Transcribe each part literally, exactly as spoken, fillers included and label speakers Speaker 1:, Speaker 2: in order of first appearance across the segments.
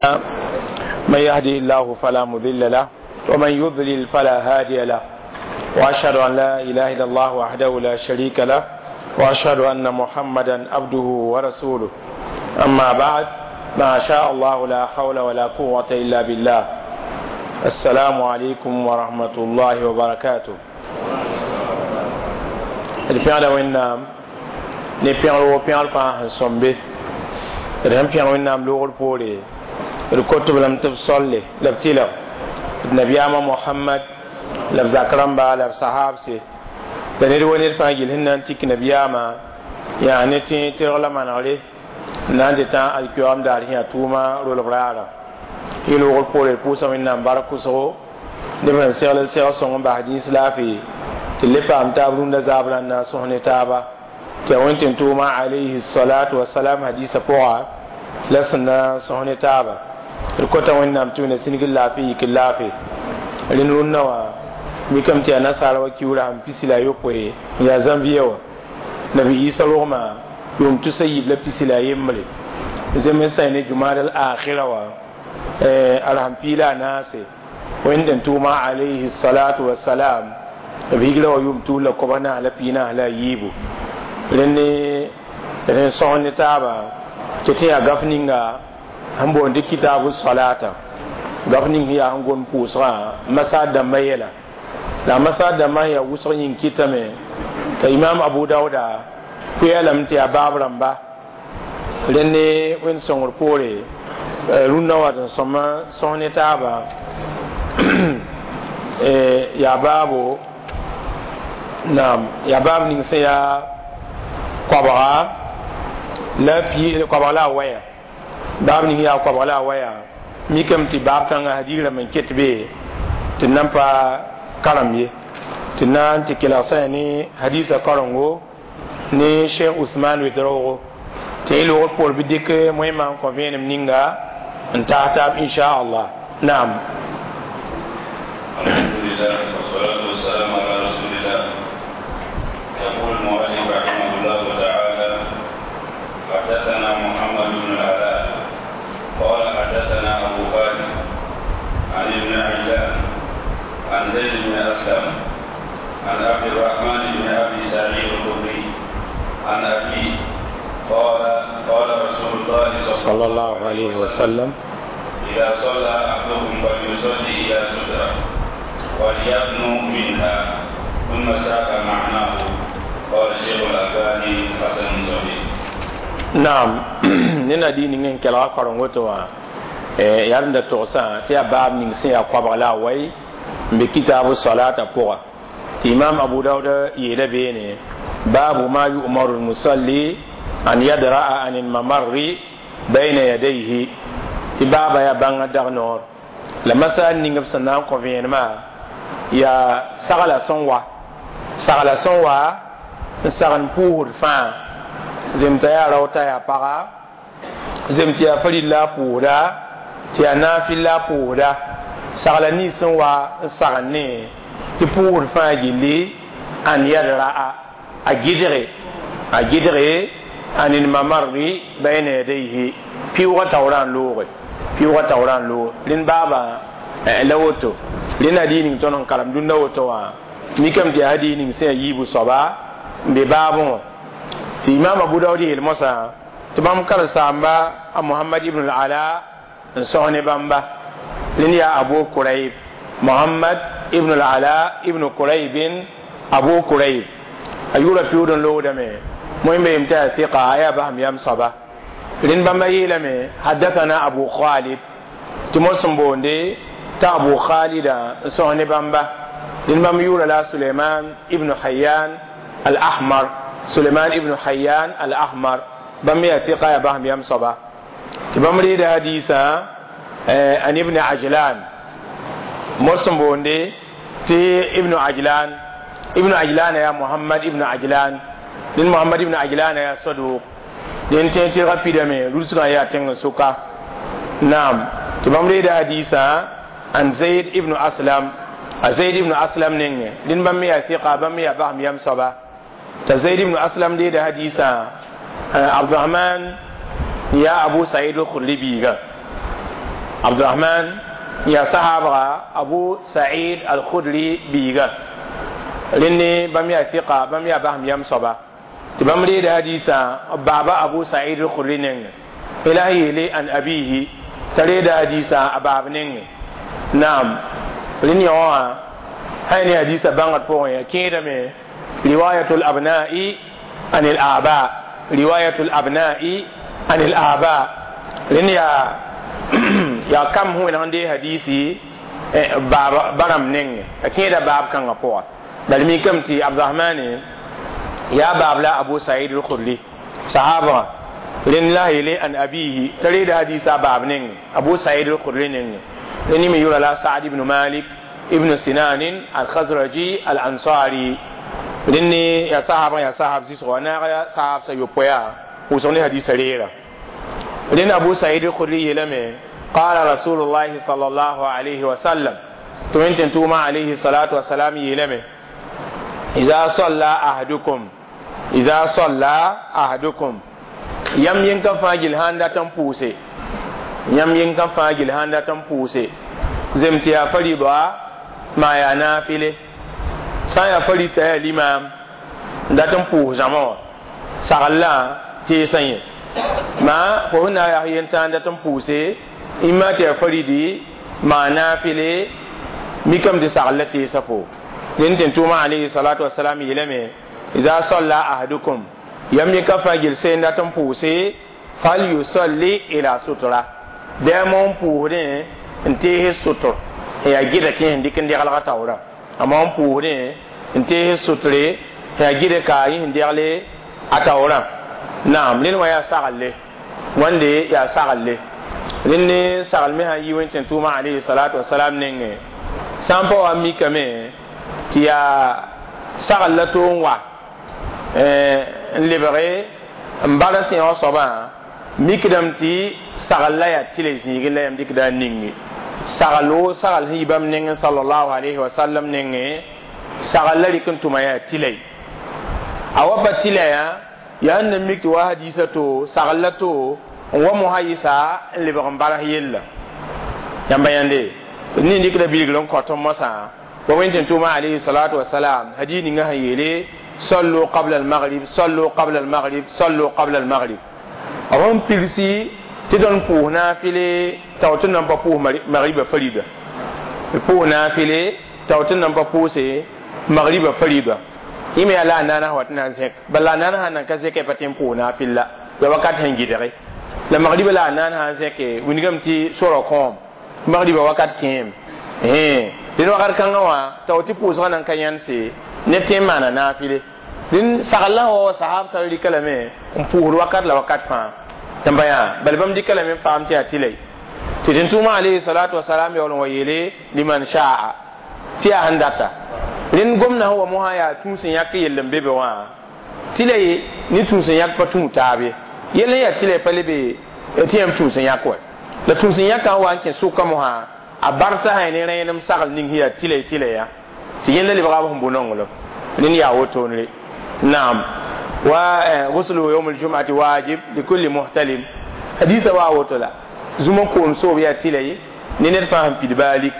Speaker 1: من يهده الله فلا مضل له ومن يضلل فلا هادي له، واشهد ان لا اله الا الله وحده لا شريك له، واشهد ان محمدا عبده ورسوله. اما بعد، ما شاء الله لا حول ولا قوه الا بالله. السلام عليكم ورحمه الله وبركاته. D pẽgda Wẽnnaam ne pẽgr wo pẽgr fãa sẽn sõmbe. D sẽn pẽg Wẽnnaam loogr poore, d kot b lame tɩ b solle la b tɩlg d nabiyaamã Mohamad la b zak rãmba la b sahaabse la ned wa ned fãa gill sẽn na n tik nabiyaamã yaa ne tẽ tɩrg la manegre n na n dɩ tã alkiyoam daar sẽn yaa tʋʋma rolg raara. Yẽ loogr poore, d pʋʋsa Wẽnnaam bark kʋsgo neb sẽn segl segl sõng n bas dĩis laafɩ tɩ le paam taab rũndã zaab rãndã n sõs ne taaba tɩ yaa wẽn tɩ n tʋʋma alayhi salatu wasalam hadisa pʋga la sẽn na sõs ne taaba. D kota Wẽnnaam tɩ wẽna sĩnigr laafɩ yik laafɩ. Rẽnd rũnnã wã mikame tɩ yaa nasaara wa kiuurã sẽn pisi la a yopoe n yaa zãnvia wã nabi Isa rogmã yʋʋm tusa yiib la pisi la a yembre zems sã ne jumad al akhira wã a rasem pii la a naase wẽnd n tʋʋma alayhi salatu wasalam b higra wa yʋʋm tuus la koabg naas la pii naas la a yiibu. Rẽnd d sẽn sõs ne taaba tɩ tɩ yaa gaf ninga sẽn boond tɩ kitabu salata, gaf ning sẽn yaa sẽn gom pʋʋsgã masaad dãmbã yɛla la masaad dãmbã sẽn yaa wʋsg yĩng kɩtame t'a Imam Abu Dauda kʋya lame tɩ yaa baab rãmba. Rẽnd ne wẽnd sõngr poore, rũndã wa tɩ sõma sõs ne taaba yaa baabo naam yaa baab ning sẽn yaa koabga la pi koabg la a waya, baab ning yaa koabg la a waya. Mikame tɩ baab kãngã hadiis rãmb n ket be tɩ nan pa karem ye tɩ na n tɩ kelg sã ne hadiisã karengo ne Cheikh Usman Wedraogo tɩ yẽ loogr poor bɩ dɩk moẽmã n kõ vẽenem ninga n taas taab inchallah. Naam.
Speaker 2: الحمد لله والصلاة والسلام على رسول الله. يقول المؤلف رحمه الله تعالى: حدثنا محمد بن العلاء قال حدثنا أبو خالد عن ابن عجلان عن زيد بن أسلم عن عبد الرحمن بن أبي سعيد الخدري عن أبيه قال: قال رسول الله
Speaker 1: صلى الله عليه وسلم:
Speaker 2: إذا صلى أحدكم فليصلي إلى سترة وليدنو منها. ثم ساق معناه. قال الشيخ الألباني: حسن صحيح.
Speaker 1: Naam, ne na dii ning n kelga kareng woto wã yaa rẽnda togsã tɩ yaa baab ning sẽn yaa koabg la a wai n be kitabu salata pʋga tɩ Imam Abu Dauda yeela beene: baabu ma yu'maru lmusalli an yadra'a an lmamarri bayna yadayhi. Tɩ baaba yaa bãngã dag noor la masal ning b sẽn na n kõ vẽenemã yaa sagla sẽn wa sagla sẽn wa n sagn pʋʋsd fãa zem t'a yaa rao t'a yaa paga zem tɩ yaa farilla a pʋʋsda tɩ yaa naafɩlla a pʋʋsda sagla nins sẽn wa n sagn ne tɩ pʋʋsd fãa gilli an yadra'a a gɩdge a gɩdge an lmamarri bayna yadayhi pɩʋʋgã taoorã n looge pɩʋʋgã taoorã n loog. Rẽnd baaba la woto rẽnd hadiis ning tõnd n karem dũnna woto wã mikame tɩ yaa hadiis ning sẽn yaa yiibu soaba n be baabẽ wã tɩ Imam Abu Daood yeel mosã tɩ bãmb karen-saamba a Mohamad ibn al-Ala n sõs ne bãmba. Rẽnd yaa Abu Kurayb, Mohamad ibn al-Ala ibn Kuraybin Abu Kurayb, a yʋʋra pɩʋʋd n loogdame moẽmbe yem tɩ yaa tɩka a yaa basem yam soaba. Rẽnd bãmba yeelame: hadathana Abu Khalid, tɩ mos sẽn boonde t'a Abu Khalida n sõs ne bãmba. Rẽnd bãmb yʋʋra la Suleiman ibn Hayyan al-Ahmar, Suleiman ibn Hayyan al-Ahmar, bãmb yaa tɩka yaa basem yam soaba tɩ bãmb reeda hadiisã an ibn Ajlan mos sẽn boonde tɩ ibn Ajlan. Ibn Ajlan yaa Muhammad ibn Ajlan. Rẽnd Muhammad ibn Ajlan yaa saduq dẽn tẽ tɩrgã pidame rũsgã yaa tẽng n sʋka. Naam, tɩ bãmb reeda hadiisã an Zaid ibn Aslam, a Zaid ibn Aslam nengẽ. Rẽnd bãmb me yaa tɩka, bãmb me yaa basem yam soaba t'a Zaid ibn Aslam deeda hadiisã Abdurahman yaa Abu Said al-Khudri biiga. Abdurrahman ya sahaba Abu Sa'id al-Khudri biiga rẽnd bãmb yaa fiqa bãmb yaa basem yam soaba tɩ bãmb reeda hadiisã baaba Abu Sa'id al-Khudri nengẽ la sẽn yeele an abihi t'a reeda hadiisã a baab nengẽ naam rẽnd yõ wã sã ne hadiisã bãngd pʋgẽ ya kẽedame riwayatul abna'i an al aba riwayatul abna'i an al aba rẽnd yaa yaa kam sẽn wẽneg n dee hadiisi baab ba rãmb nengẽ a kẽeda baab kãngã pʋga bala mikame tɩ Abdurahmane yaa baab la Abu Said al-Khudri sahaba rẽnd la yeele an abihi t'a reeda hadiisã a baab nengẽ Abu Said al-Khudri nengẽ rẽnd me yʋra la Sa'd ibn Malik ibn Sinan al-Khazraji al-Ansari rẽnd yaa sahaba yaa sahab zɩsgɔ a naag sahab sa yopoe pʋʋsg ne hadiisã reera rẽnd Abu Said al-Khudri yeelame قال رسول الله صلى الله عليه وسلم تمنتن توما عليه الصلاة والسلام يلمه إذا صلى أحدكم إذا صلى أحدكم يم ينكا فاجل هاندا تنپوسي يم ينكا فاجل هاندا تنپوسي زمتيا فريضة ما يا نافلة سايا فريضة يا الإمام دا تنپوس زمان سغلا تيسين ما فهنا يا ينتان دا تنپوسي إما تيا فريدي ما نافلة ميكم دي سغلا تيسفو لنتن توما عليه الصلاة والسلام يلمي إذا صلى أحدكم يم يكفى جلسين داتم بوسي فليصلي إلى سترة دائما بوهرين انتهي ستر هي جيدة كي هندي كندي غلغة تورا أما بوهرين انتهي ستر هي جيدة كاي هندي غلي أتورا نعم لين ويا سغل وندي يا سغل لين سغل مها يوين توما عليه الصلاة والسلام نينغ سامبو أمي كمي tɩ yaa sagl la to n wa n lebge n bala sẽog soabã mikdame tɩ sagl la yaa tɩla zĩigẽ la yãmb dɩkda a ninge sagl wo sagl sẽn yi bãmb nengẽ sallallahu alayhi wa sallam nengẽ sagl la rɩk n tʋma yaa tɩla a wa pa tɩla yã yaa n na mik tɩ wa hadiisã to sagl la to n wa mosã yɩsa n lebg n balas yella yãmba yãnde ne dɩkda bilgr n kõt mosã ووين توما عليه الصلاة والسلام هديني نها يلي صلوا قبل المغرب صلوا قبل المغرب صلوا قبل المغرب أهم بيرسي تدون بوه نافلة تاوتن نمبا بوه مغرب فريدة بوه نافلة تاوتن نمبا بوه سي مغرب فريدة إما لا نانا واتنا زك بل لا نانا هنا كزك بتيم بوه نافلة يوقات هنجي la مغرب لا نانا زك ونجم تي سورة كوم مغرب وقت كيم eh dẽn wakat kãngã wã tao tɩ pʋʋsgã nan ka yãnse neb tẽ n maana naafɩle dẽn sagl wa sahab sã rɩka lame n pʋʋsd wakat la wakat fãa yãmba yaa bala bãmb dɩka lame n faam tɩ yaa tɩla tɩ tɩ tʋʋma alayhi salatu wasalam yaool n wa yeele liman shaa tɩ yaa sẽn data rẽnd gomdã sẽn wa mosã yaa tũus n yãk yell n be be wã tɩla ne tũus n yãk pa tũu taab ye yell n yaa tɩla pa le be tɩ yãmb tũus n yãk wa la tũus n yãkã n wa n kẽ sʋka mosã a barsa sã ne rẽenem sagl ning sẽn yaa tɩla tɩla ya tɩ yẽnda lebga b sẽn bʋ nonglem rẽnd yaa wotone naam wa guslu yawm aljum'ati wajib likulli muhtalim hadisa wa woto la zũma koom soob yaa tɩla ye ne ned fãa sẽn pid baalik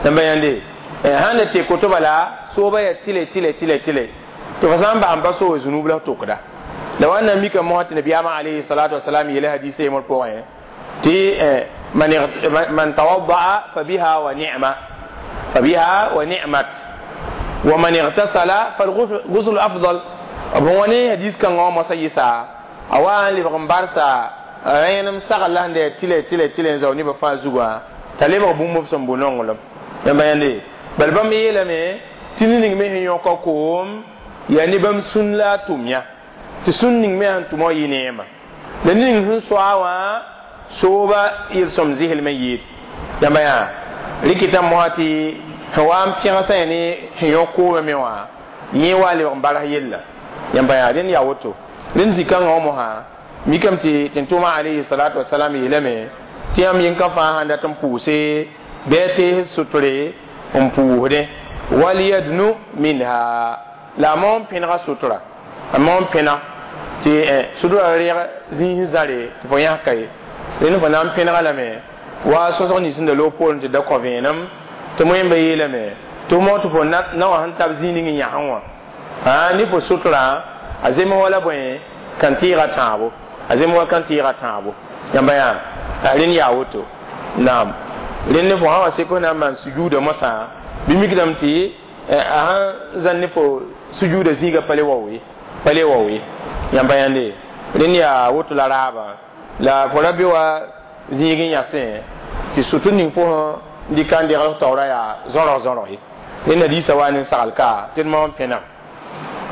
Speaker 1: yãmba yãnde sãn na tɩ koto bala sooba yaa tɩla tɩla tɩla tɩla tɩ fo sã n bas n pa soobe zũnub la tokda la wa na mika mosã tɩ nabiyaamã alayhi salatu wasalam yeele hadisa yembr pʋgẽ tɩ من من توضأ فبها ونعمة فبها ونعمت ومن اغتسل فالغسل أفضل أبواني حديث كان غو مسيسا أوان لبغم بارسا رينم سغل لهن دي تيلي تيلي تيلي زوني بفا زغوا تلبغ بوم بسم بونونغلم يما يندي بل بام يلمي تينينغ مي يوكو كوم يعني بام سن لا توميا تسن نينغ مي هن ينيما لنين هن سواوا sooba yel-sõm zɩslmã yɩɩd yãmba yaa rɩkɩta mosã tɩ sẽn wa n pẽgsã ya ne sẽn yõ koomã me wã yẽ wa lebg n baras yella yãmba yaa rẽnd yaa woto rẽnd zĩ-kãngã wã mosã mikame tɩ tɩ tʋʋmã alayhi salatu wasalam yeelame tɩ yãmb yẽn-kã fãa sãn dat n pʋʋse bɩ a tees sotre n pʋʋsdẽ walyadnu minha la a maon pẽnega sotra a maon pẽna tɩ sotra reeg zĩis zãre tɩ fo yãska ye rẽnd fo na n pẽnega lame Wa sõsg nins sẽn da loog poorẽ tɩ da kõ vẽenem tɩ moẽmba yeelame tɩ f moog tɩ fo na wã sẽn tab zĩig ning n yãsẽ wã ne fo sotrã a zems wala bõe kan tɩɩga tãabo a zems wa kan tɩɩga tãabo yãmba yaa rẽnd yaa woto naam rẽnd ne fo sã wa sek f na n maan sujuuda mosã bɩ mikdame tɩ a sãn zãn ne fo sujuuda zĩiga pa le wao ye pa le wao ye yãmba yãnde rẽnd yaa woto la raabã la fo ra be wa zĩig n yãsẽ tɩ sʋtr ning fo sẽn dɩka n degl f taoora yaa zõrg zõrg ye rẽnd hadiisa wa ne sagl ka tɩ d maam pẽneg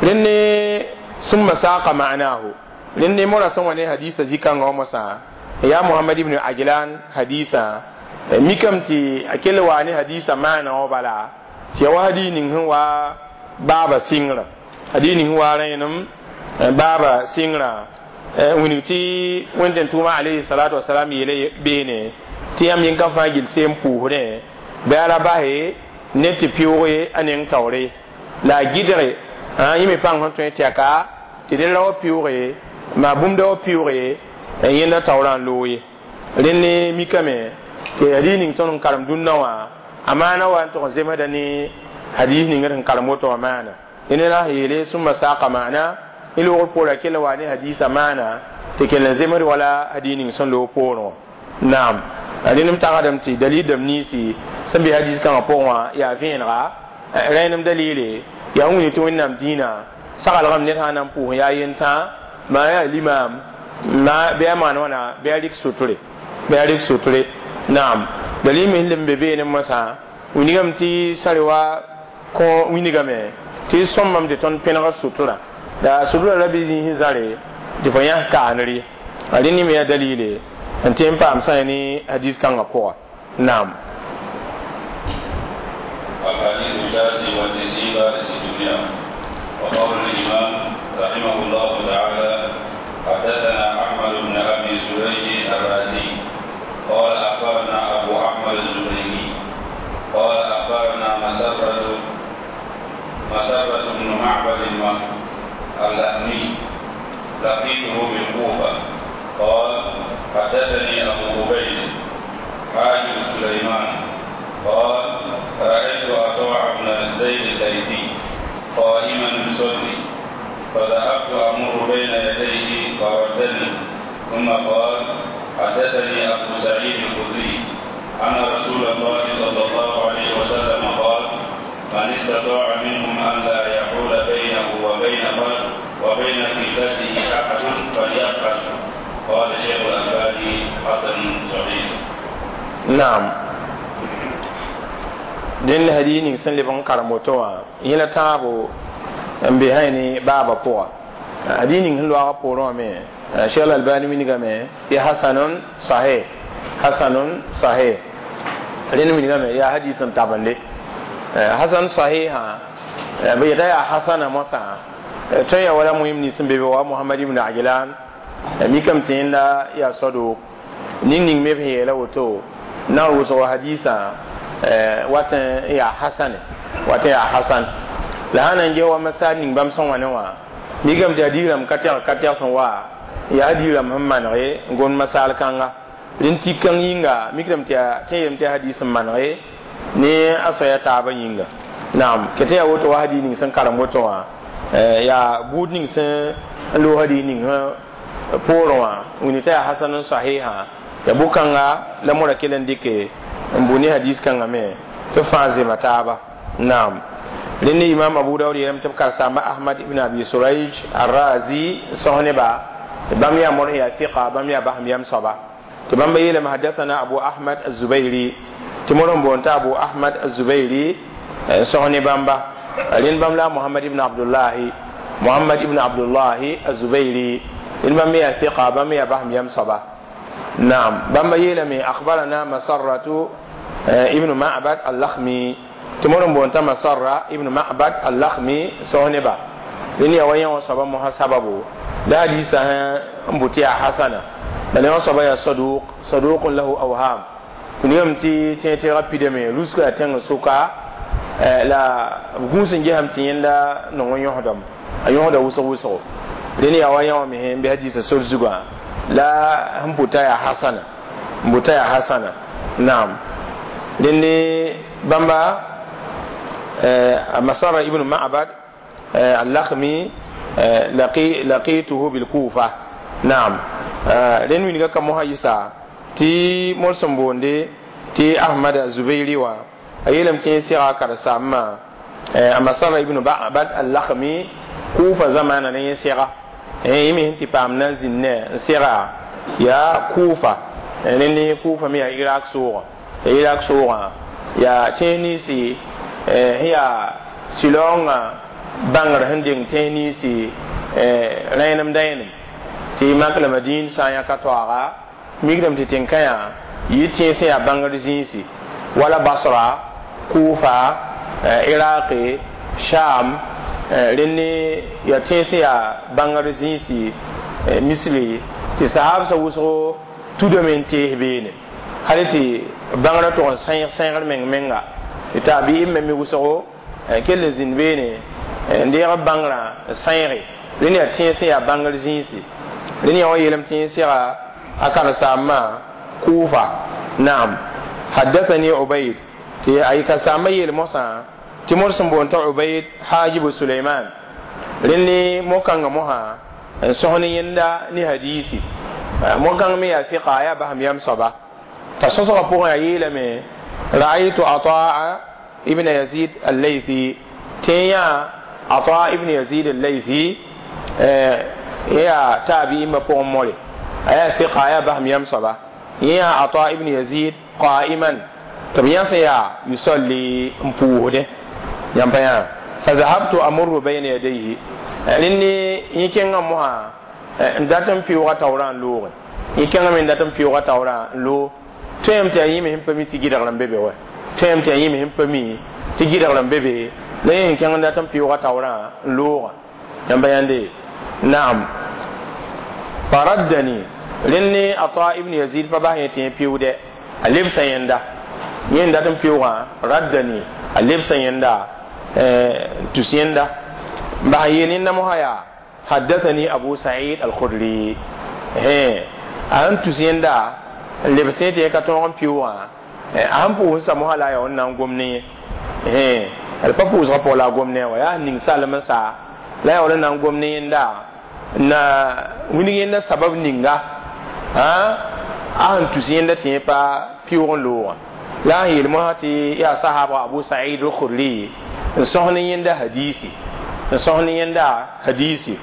Speaker 1: rẽnd ne summa saqa ma'nahu rẽnd ne mora sẽn wa ne hadiisa zĩ-kãngã wã mosã yaa Muhammad ibn Ajlan hadiisa mikame tɩ a kell waa ne hadiisa maana wã bala tɩ ya wa hadiis ning sẽn wa baaba sɩngrã hadiis ning sẽn wa rẽenem baaba sɩngrã wilg tɩ wẽnd tʋʋma alayhi salatu wasalam yeele beene tɩ yãmb yẽn ka fãa gill seem pʋʋsdẽ bɩ a ra base ne tɩ pɩʋʋge a neng taoore la a gɩdge yẽ me pãng sẽn tõe tɩ aka tɩ dẽ ra wa pɩʋʋge maa bũmb da wa pɩʋʋge yẽnda taoorã n loog ye rẽnd ne mikame tɩ hadiis ning tõnd n karem dũnna wã a maana wa n tʋg n zemsda ne hadiis ning sẽn karem woto wã maana dẽnd la yeele sũmma saaka maana ne loogr poora kell wa ne hadiisã maana tɩ kell n zemsd wala hadiis ning sẽn loog poorẽ wã naam rẽnd m tagsdame tɩ dalil dãmb ninsi sẽn be hadiis kãngã pʋgẽ wã yaa vẽenega rẽenem dalile yaa wĩni tɩ wẽnnaam dĩinã saglgame ned sã n na n pʋʋs yaa yentã maa yaa limaam ma bɩ a maan wãna bɩ a rɩk sotre bɩ a rɩk sotre naam dalil me sẽn be beene mosã wilgame tɩ sare wa kõ wilgame tɩ sõmbame tɩ tõnd pẽneg sotrã la sotrã ra bɩ zĩis zãre tɩ fo yãs kaanr ye a rẽnd me yaa dalile n tɩ n paam sã ne hadis kãngã pʋga naam.
Speaker 2: الحديث التاسع والتسعين بعد ستمائة. وقول الإمام رحمه الله تعالى: حدثنا أحمد بن أبي سريج الرازي قال أخبرنا أبو أحمد الزبيري قال أخبرنا مسرة مسرة بن معبد اللحمي لقيته بالكوفة قال حدثني أبو عبيد حاجب سليمان قال رأيت عطاء بن زيد الليثي قائما يصلي فذهبت أمر بين يديه فردني، ثم قال حدثني أبو سعيد الخدري أن رسول الله صلى الله عليه وسلم قال: من استطاع منهم أن لا يحول بينه وبين وبين قبلته أحد فليفعل. قال شيخ الألباني: حسن صحيح.
Speaker 1: نعم. Dẽnd hadiis ning sẽn leb n karem woto wã yẽla tãabo n be sã ne baaba pʋga hadiis ning sẽn loaga poorẽ wã me Cheikh Albani wilgame tɩ hasanun sahih hasanun sahih rẽnd wilgame yaa hadiis n tabende hasan sahih sã b yeta yaa hasana mosã tõe ya wala muhim nins n be be wa Muhammad ibn Ajlan mikame tɩ yẽnda yaa saduk ning ning me b sẽn yeela woto na n wʋsg hadiisã wat n yaa hasane wat n yaa hasan la sã na n ges wa masal ning bãmb sẽn wa ne wã mikame tɩ hadiis rãmb ka tɛg ka tɛg sẽn wa yaa hadiis rãmb sẽn manege n gomd masal kãnga rẽnd tik kãng yĩnga mikdame tɩ tẽ yeelame tɩ hadiis n manege ne a soaya taabã yĩnga naam kɩ tɩ yaa woto wa hadiis ning sẽn karem woto wã yaa buud ning sẽn loog hadiis ning sẽn poorẽ wã wĩni t'a yaa hasan n sahiha ya bʋ-kãnga la mora kell n dɩke n bʋ ne hadis kãngã me tɩ fãa zema taaba naam rẽnd ne imam Abu Daud yeelame tɩ b karsaamba Ahmad ibn Abi Surayj Arrazi sõs neba bãmb yaa mor yaa fiqa bãmb yaa basem yam soaba tɩ bãmba yeelame hadathana Abu Ahmad Azubairi tɩ mor n boond t'a Abu Ahmad Azubairi sõs ne bãmba rẽnd bãmb la Muhammad ibn Abdullahi Muhammad ibn Abdullahi Azubairi rẽnd bãmb me yaa fiqa bãmb me yaa basem yam soaba نعم بما يلمي أخبرنا مسرة ابن معبد اللخمي تمرن بونتا مسرة ابن معبد اللخمي سونبا لني وين وصبا محسبه لا حديث مبتيا حسنة بل وصبا يا صدوق صدوق له أوهام نيوم تي تي تي رابيد مي لوسكو اتين سوكا لا غوسن جهم تي لا نون يهدم ايهدا وسو وسو لني وين ومه بحديث سول زغا la n buta ya hasana n buta ya hasana Naam, dẽnde bãmba Masara ibn Ma'bad al-Lakhmi laqi laqituhu bil Kufa. Naam, rẽnd wilga ka mosã yɩsa tɩ mor sẽn boonde tɩ Ahmad Zubairi wã a yeelame tɩ yẽ sega a karen-saambã a Masara ibn Ma'bad al-Lakhmi Kufa zamaana ne yẽ sega yẽ me sẽn tɩ paam na n zĩnd ne n sega yaa Kufa. Rẽnd Kufa me yaa Irak soogã, ya Irak soogã yaa tẽes ninsi sẽn yaa sɩlaoongã bãngr sẽn deng tẽes ninsi rẽenem dãenem tɩ mak la Madin sã n yãka toaaga mikdame tɩ tẽn-kãyã yɩ tẽes sẽn yaa bãngr zĩisi wala Basra, Kufa, Iraqi, Sham. Rẽnd yaa tẽes sẽn yaa bãngr zĩisi misri tɩ sahabsã wʋsgo tudame n tees beene hal tɩ bãngrã tʋg n sãeeg sãeegr meng menga tɩ taabiim me me wʋsgo kell n zĩnd beene n deeg bãngrã n sãeege. Rẽnd yaa tẽes sẽn yaa bãngr zĩisi. Rẽnd yaa wã yeelame tɩ yẽ sega a karen-saambã Kufa. Naam, haddathani Ubayd tɩ a ka-saambã yeel mosã tɩ mor sẽn boond t'a Ubayd Hajibu Suleiman. Rẽnd mo-kãngã mosã n sõs ne yẽnda ne hadiisi mo-kãng me yaa fiqa yaa basem yam soaba t'a sõsgã pʋgẽ a yeelame ra'aytu Ataa ibn Yazid al-Laythi tɩ yã Ata ibn Yazid al-Laythi yaa taabi'imã pʋgẽ more a yaa fiqa yaa basem yam soaba yã Ata ibn Yazid qa'iman tɩ b yãs yaa yusalli n pʋʋsdẽ yãmb pa yã fa zahabtu amurru bayna yadayhi. Rẽnd yẽ kẽngã mosã n dat n pɩʋʋga taoorã n loogẽ yẽ kẽngame n dat n pɩʋʋga taoorã n loog tõeem tɩ yaa yẽ me sẽn pa mi tɩ gɩdgr n be be wa tõeem tɩ yaa yẽ me sẽn pa mi tɩ gɩdgr n be be la yẽ sẽn kẽng n dat n pɩʋʋga taoorã n loogã yãmba yãnde. Naam, faraddani rẽnd Ata ibn Yazid pa bas yẽ tɩ yẽ pɩʋʋdɛ a lebsa yẽnda yẽ n dat n pɩʋʋgã raddani a lebsa yẽnda tus yẽnda bas yeel yẽnda mosã yaa haddathani Abu Sa'id al-Khudri he a sẽn tus yẽnda n lebs yẽ tɩ yẽ ka tõog n pɩʋʋgã a sẽn pʋʋs sa mosã la a yaa wẽnd na n gom ne yẽ he d pa pʋʋsgã pʋgã la a gom ne wa yaa ning salem n sa la yaa wala na n gom ne yẽnda na wilg yẽnda sabab ninga a sẽn tus yẽnda tɩ yẽ pa pɩʋʋg n loogã la a yeel mosã tɩ yaa sahaba Abu Sa'id al-Khudri n sõs ne yẽnda hadiisi n sõs ne yẽnda hadiisi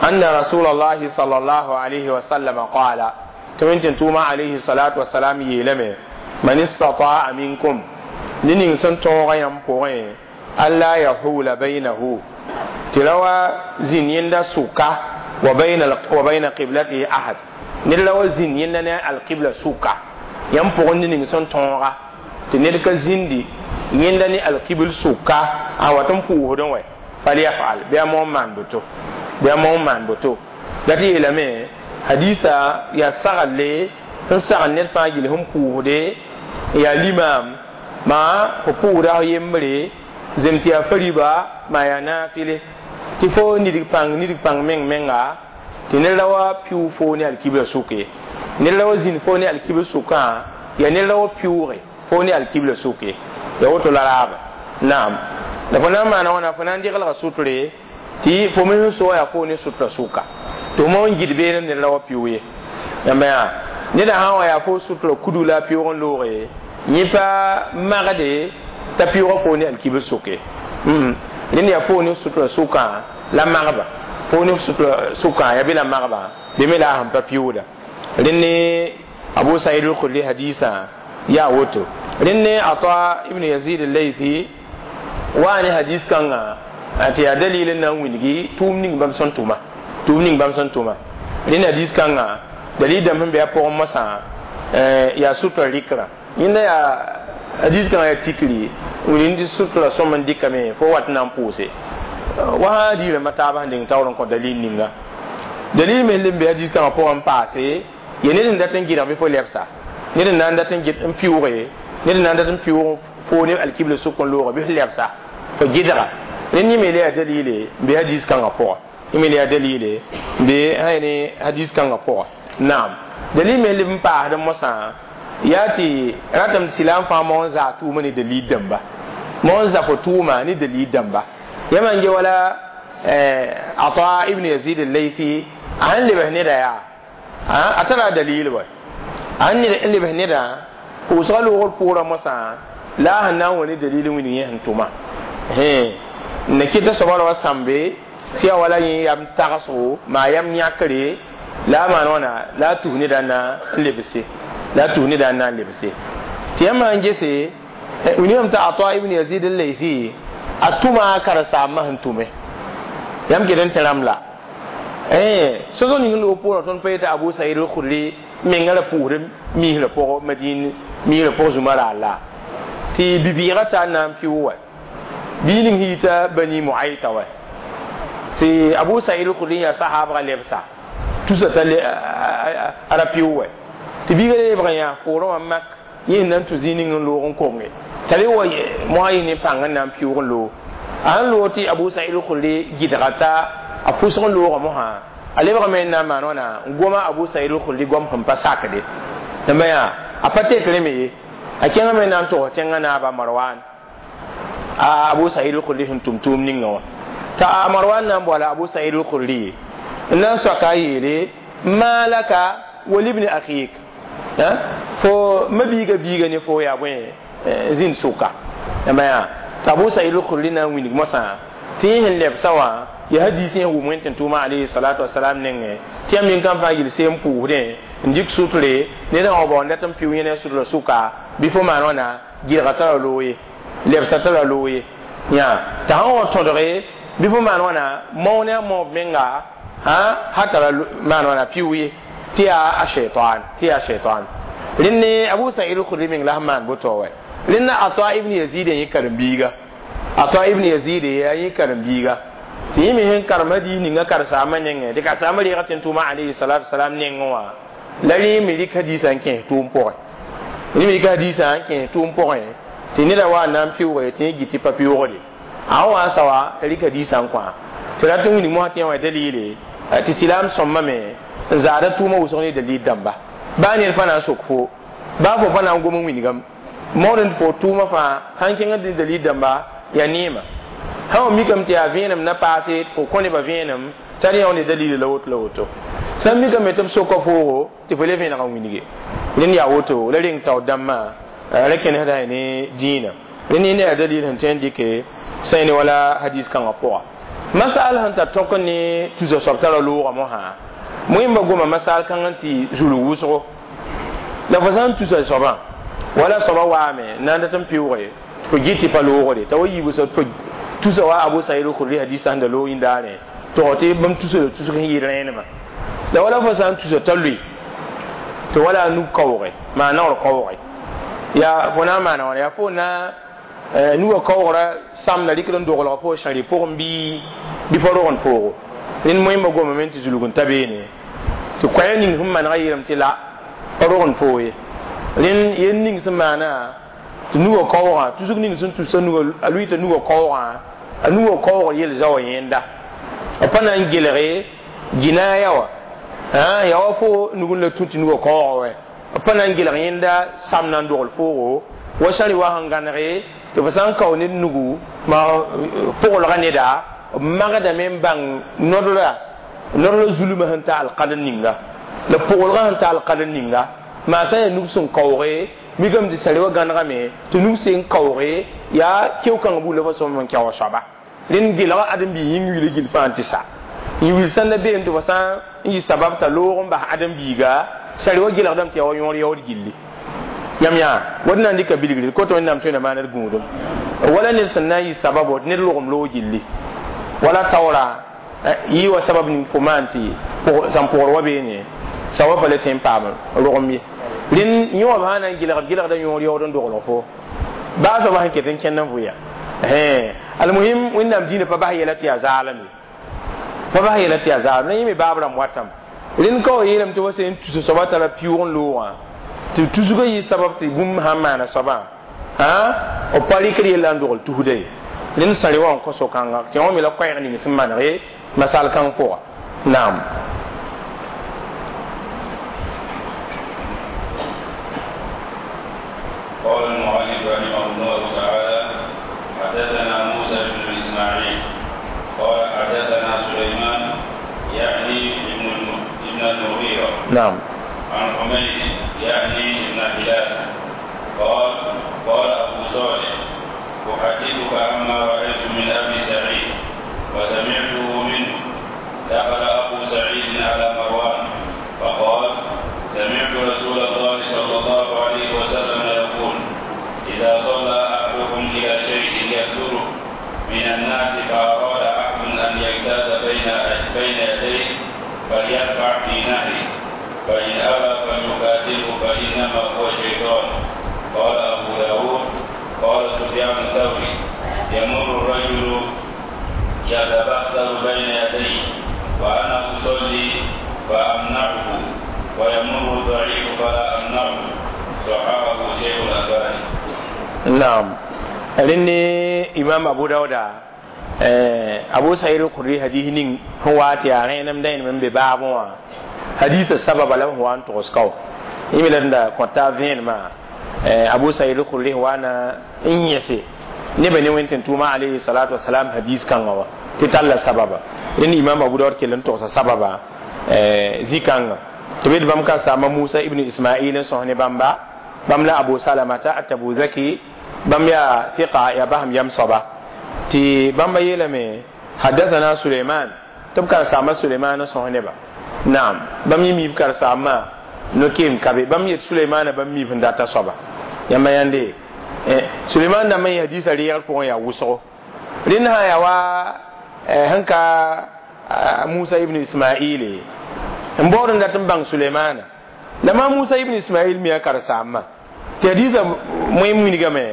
Speaker 1: anna rasulallahi sallallahu alayhi wa sallam qala tɩ wẽn tʋʋma alayhi salatu wasalam yeelame man istata'a minkum ne ning sẽn tõoga yãmb pʋgẽ alla yahula baynahu tɩ ra wa zĩnd yẽnda sʋka wa bayna wa bayna qiblatihi ahad ned la wa zĩnd yẽnda ne alqibla sʋka yãmb pʋgẽ ne ning sẽn tõoga tɩ ned ka zĩndi yẽnda ne alqibl sʋka a wat n pʋʋsdẽ wɛ falyafal bɩ a moon maan boto bɩ a moon maan boto la tɩ yeelame hadisa yaa saglle sẽn sagl ned fãa gill sẽn pʋʋsde yaa limaam maa fo pʋʋsda f yembre zem tɩ yaa fariba maa yaa naafɩle tɩ fo nidg pãng nidg pãng meng menga tɩ ned ra wa pɩʋʋg foo ne alkibla sʋk ye ned ra wa zĩnd foo ne alkibl sʋkã yaa ned ra wa pɩʋʋge foo ne alkibla sʋk ye ya woto la raaba. Naam, la fo na n maana wãna fo na n degelga sutre tɩ fo me sẽn soa yaa fo ne sutra sʋka tɩ fo ma n gɩd beene ned ra wa pɩʋʋg ye yãmba yaa neda sã n wa yaa fo sutra kudu la a pɩʋʋg n looge yẽ pa magde t'a pɩʋʋga fo ne alkibl sʋke rẽnd yaa fo ne sutra sʋkã la magba fo ne sutra sʋkã yaa be la magba be me la a sẽn pa pɩʋʋda. Rẽnd Abu Sa'id al-Khudri hadisa yaa woto. Rẽnd Ata ibn Yazid al-Laythi wa ne hadis kãnga tɩ yaa dalil n na n wilgi tʋʋm ning bãmb sẽn tʋma tʋʋm ning bãmb sẽn tʋma. Rẽnd hadis kãnga dalil dãmb sẽn be a pʋgẽ mosã yaa sutra rɩkrã yẽnda yaa hadis kãngã yaa tikri wilg tɩ sutra sõm n dɩkame fo wat n na n pʋʋse wa sã diirãmbã taabã sẽn deng taoor n kõ dalil ninga dalil me le n be hadis kãngã pʋgẽ n paase ya ned n dat n gɩdg bɩ fo lebsa ned n na n dat n gɩd n pɩʋʋge ned n na n dat n pɩʋʋg fo ne alkibla sʋk n looge bɩ f lebsa fo gɩdga rẽnd yẽ me le yaa dalile n be hadis kãngã pʋga yẽ me le yaa dalile n be ne hadis kãngã pʋga. Naam, dalil me leb n paasd mosã Yaa tɩ ratame tɩ silaam fãa moon zaa tʋʋma ne dalil dãmba moon za fo tʋʋma ne dalil dãmba yãmb n ge wala Ata ibn Yazid al-Laythi a sẽn lebs neda yaa a tara dalil wa a sẽn lebs neda pʋʋsga loogr pʋʋra mosã la a sẽn na n wa ne dalil wĩndg yẽ sẽn tʋma n kɩta soaba ra wa sãmbe tɩ yaa wala yẽ yam tagsgo maa yam yãkre la a maan wãna la a tus neda na n lebse la a tus neda n na n lebse tɩ yãmb sãn gese william t'a Ata ibn Yazid al-Laythi a tʋma a karen-saambã sẽn tʋme yãmb ket n tẽ rãmb la soso ning loog pʋʋrã tõnd pa yeta Abu Said al-Khudri menga ra pʋʋsd miisrã pʋgẽ Madin miisrã pʋgẽ zũma raar la tɩ bi-bɩɩgã ta n na n pɩʋ wa bii ning yita Bani Muayta wa tɩ Abu Said al-Khudri yaa sahaabga lebsa tusa t'a a ra pɩʋ wa tɩ biiga lebg n yaa poorẽ wã mak yẽ na n tũ zĩig ning n loog n konge t'a le wa moasã yɩ ne pãng n na n pɩʋg n loog a sẽn loog tɩ Abu Said al-Khudri gɩdga t'a a fʋsg n loogã mosã a lebgame n na n maan wãna n goma Abu Said al-Khudri goam sẽn pa sakde tɩ yaa a pa tekre me ye a kẽngame n na n togs tẽngã naaba Marwan a Abu Said al-Khudri sẽn tʋm tʋʋm ninga wã t'a Marwan na n boala Abu Said al-Khudri n na n soaka a yeele ma laka wa libni akhik fo ma biiga biiga ne fo yaa bõe zĩnd sʋka yãmba yaa t'a Abu Said al-Khudri na n wilg mosã tɩ yẽ sẽn lebsa wã yaa hadiis yẽ wʋm wẽn tɩ tʋʋma alayhi salatu wasalam nengẽ tɩ yãmb nin-kãm fãa yel seem pʋʋsdẽ n dɩk sutre ned sã wa baoond dat n pɩʋ yẽ ne a sutrã sʋka bɩ fo maan wãna gɩlga tara loog ye lebsa tara loog ye yã t'a sã n wa tõdge bɩ fo maan wãna mao ne a maoob menga ha tara maan wãna pɩʋ ye tɩ yaa a shaitan tɩ yaa shaitan rẽnd Abu Said al-Khudri meng la sẽn maan boto wa rẽnd Ata ibn Yazid yẽ karen-biiga Ata ibn Yazid yaa yẽ karen-biiga tɩ yẽ me sẽn karem hadiis ninga karen-saambã nengẽ tɩ karen-saambã reega tɩ n tʋʋma alayhi salatu wasalam nengẽ wã la rẽ me rɩk hadiisã n kẽes tʋʋm pʋgẽ rẽ me rɩk hadiisã n kẽes tʋʋm pʋgẽ tɩ neda wa n na n pɩʋge tɩ yẽ gɩ tɩ pa pɩʋgde a sẽn wa n sa wa t'a rɩk hadiisã n kõ tɩ rat n wilg mosã tɩ yã wã dalile tɩ silaam sõmbame n zaada tʋʋmã wʋsg ne dalil dãmba baa ned pa na n sok fo baa fo pa na n gom n wilgame maood n fo tʋʋmã fãa sãn kẽngd ne dalil dãmba yaa neema sã wa mikame tɩ yaa vẽenem na paase tɩ fo kõ nebã vẽenem t'a rẽ ne dalil la woto la woto sãn mikame tɩ b soka foogo tɩ fo le vẽeneg n wilge rẽnd yaa woto la reng tao dãmbã ra kẽnesda ne dĩinã rẽnd ne yaa dalil sẽn tõe n dɩke sã ne wala hadis kãngã pʋga masal sẽn tar tõk ne tusa soab tara loogã mosã moẽmba goma masal kãng n tɩ zulg wʋsgo la fo sã n tusa soabã wala soabã waame n na n dat n pɩʋge fo gɩ tɩ pa loogde t'a wa yiibsa fo tusa wa Abu Said al-Khudri hadisa sẽn da loog yĩndaare tog tɩ bãmb tusa la tusg sẽn yɩ rẽenemã la wala fo sã n tusa t'a lʋɩ tɩ wala a nug kaooge maa naoor kaooge yaa fo na n maana wãna yaa fo na nugã kaoogra samda rɩkd n doglg fo sãri pʋgẽ bɩ bɩ pa rogend foogo rẽnd moẽmba gomame tɩ zulg n ta beene tɩ koɛɛg ning sẽn manega yeelame tɩ la pa rogend foo ye rẽnd yel ning sẽn maana tɩ nugã kaoogã tusg ning sẽn tusa nugã a lʋɩta nugã kaoogã a nugã kaoogr yel zaoã yẽnda b pa na n gelge ginaya wã yaa wa fo nug n la tũ tɩ nugã kaoogã wɛ b pa na n gelg yẽnda sam na n dogl foogo wa sãri wa sẽn gãnege tɩ fo sã n kao ned nugu ma pʋglga neda b magdame n bãng nodra nodra zulmã sẽn ta alqadr ninga la pʋglgã sẽn ta alqadr ninga maa sã n yaa nug sẽn kaooge mikame tɩ sari wa gãnegame tɩ nug sẽn kaooge yaa keo-kãngã buud la fo sõm n kɛoog soaba rẽnd gelga ãdem-biig yĩng wila gill fãa n tɩ sa n wil sãn la beem tɩ fo sã n yɩ sabab t'a loog n bas ãdem-biiga sari wa gelgdame tɩ yaa wa yõor yaood gilli yãmb yaa wat na n dɩka bilgre koto wẽnnaam tõe na maaned gũudum wala ned sẽn na n yɩ sababo tɩ ned logem loog gilli wala taoora yɩ wa sabab ning fo maan tɩ sãn pʋgr wa beene sawa pa le tõe n paam rogem ye rẽnd yõob sã na n gelgd gelgda yõor yaood n doglg fo baa soaba sẽn ket n kẽnd n vʋya almuhim wẽnnaam dĩinã pa bas yɛla tɩ yaa zaalem ye pa bas yɛla tɩ yaa zaalem la yẽ me baab rãmb watame rẽnd ka wa yeelame tɩ wa sẽn tusa soaba tara pɩʋʋg n loogã tɩ tusgã yɩ sabab tɩ bũmb sãn maana soabã b pa rɩkd yella n dogl tusda ye rẽnd sãre wa n kõ so-kãnga tɩ wã me la koɛɛg ning sẽn maneg masal kãng pʋga naam
Speaker 2: المؤلف رحمه الله تعالى حدثنا موسى بن إسماعيل قال حدثنا سليمان يعني ابن ابن المغيرة
Speaker 1: نعم
Speaker 2: عن حميد يعني ابن هلال قال قال أبو صالح أحدثك عما رأيت من أبي سعيد وسمعته منه. دخل أبو سعيد على مروان فقال سمعت رسول الله صلى الله عليه وسلم يقول إذا صلى أحدكم إلى شيء يستره من الناس فأراد أحد أن يجتاز بين بين يديه فليرفع في نهره، فإن أبى فليقاتله فإنما هو شيطان. قال أبو داود قال سفيان الثوري يمر الرجل يتبختر بين يديه وأنا أصلي فأمنعه، ويمر الضعيف فلا أمنعه. صححه شيخ الألباني.
Speaker 1: نعم. لأني إمام أبو داود أبو سعيد الخدري حديث نين هو أتي أنا من ببابه حديث السبب له هو أن تغسكو إمي لندا كنت فين ما أبو سعيد الخدري هو أنا إنيسي نبى نوين تنتوما عليه الصلاة والسلام حديث كان هو تتلا سببا لأن إمام أبو داود كلن تغس سببا زي كان تبيد بامكا سام موسى ابن إسماعيل صهني بامبا باملا أبو سلمة أتبو ذكي بام يا ثقة يا بهم يم صبا تي بامبا يلمي حدثنا سليمان تبكر سام سليمان صهني با نعم بام يمي بكر سام نكيم كبي بام يت سليمان بام مي فنداتا صبا يما يندي سليمان نما يحديث ريال بون يا وسو لأنها يا وا هنكا موسى ابن إسماعيل mbor nda tan سليمان لما موسى ابن إسماعيل ميا كرسامة تحديث مهم من جمع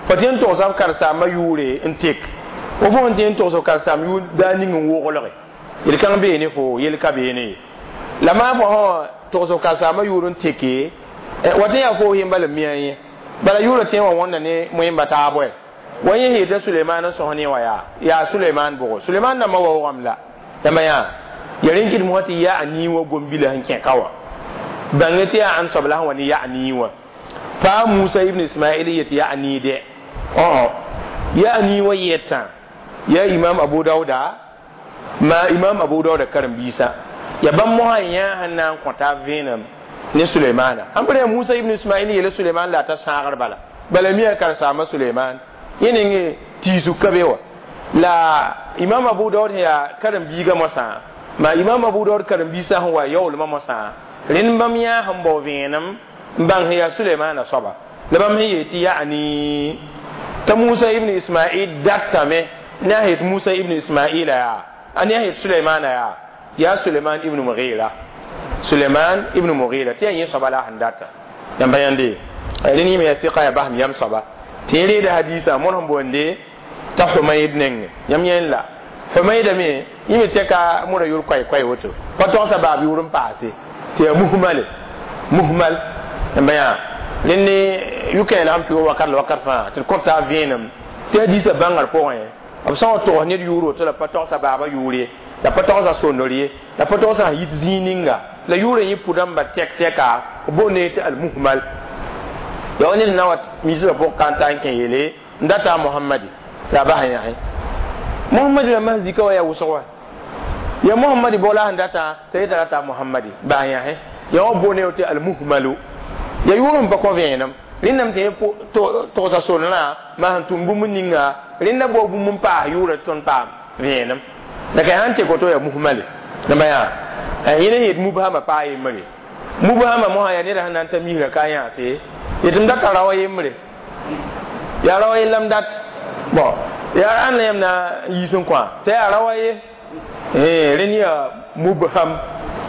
Speaker 1: فتين توصف كرسامة يوري انتك وفون تين توصف كرسامة يور داني من وغلق يلكان بيني فو يلكا بيني لما فهو توصف كرسامة يور انتك وتين يفو هم بل ميا بل يور تين وانا ني مهم بتابوه وين هي سليمان سهني ويا يا سليمان بو سليمان نما وغم لا لما يا يرين موتي يا أني وقوم بلا هنك كوا بانتي عن صبلها وني يا أني و فموسى ابن إسماعيل يت يا أني ده أه يا أني ويتا يا إمام أبو داود ما إمام أبو داود كرم بيسا يا بام مها يا هنان كنت فينم نسليمان أمبر موسى ابن إسماعيل يل سليمان لا تسعر بلا بلا مية كرسامة سليمان يني تيزو كبيوة لا إمام أبو داود يا كرم بيجا مسا ما إمام أبو داود كرم بيسا هو يول ما مسا لين بام يا هم بوفينم بان هي سليمان صبا لبام هي تي يعني تموسى ابن إسماعيل دكتمه ناهيت موسى ابن إسماعيل يا أن يهيت سليمان يا يا سليمان ابن مغيرة سليمان ابن مغيرة تي أن صبا لا هنداتا يم بيان دي لين يم يثقة يا بهم يم صبا تيري ده حديثة منهم بوندي تحميد نين يم ين لا حميد مي يم تكا مورا يور كوي كوي وتو فتوسا باب يورم باسي تي مهمل مهمل يم لين يوكي لام في وكر وكر فا تكون فينم تي حديثة بانغر بوين b sã n tog ned yʋʋr woto la pa togsa baaba yʋʋr ye la pa togsa sondr ye la pa togsa yit zĩig ninga la yʋʋrã yẽ pʋdãmba tɛk tɛka b boonde tɩ almuhmal ya wa ned na wa misbã pʋg ka n ta n kẽ yeele n data mohamadi la bas n yãse mohamadi la mas zika wa yaa wʋsg wa ya mohamadi bɔ la sẽn data t'a yeta rata mohamadi bas n yãse ya wa boonde tɩ almuhmalu ya yʋʋr n pa kõ vẽenem rẽndame tɩ togsa sornã maa sẽn tʋm bũmb ninga rẽnda bao bũmb n paas yʋʋra tɩ tõnd paam vẽenem la ka sãn tɩ koto yaa muhmale dãmba yaa yẽne yet mubhama paa yembre mubhama mosã yaa neda sẽn na n ta misra ka yãase yetɩ m data raoã yembre yaa raoã ye la m dat bon yaa ãnna yãmb na n yiis n kõ t'a yaa raoã ye rẽnd yaa mubham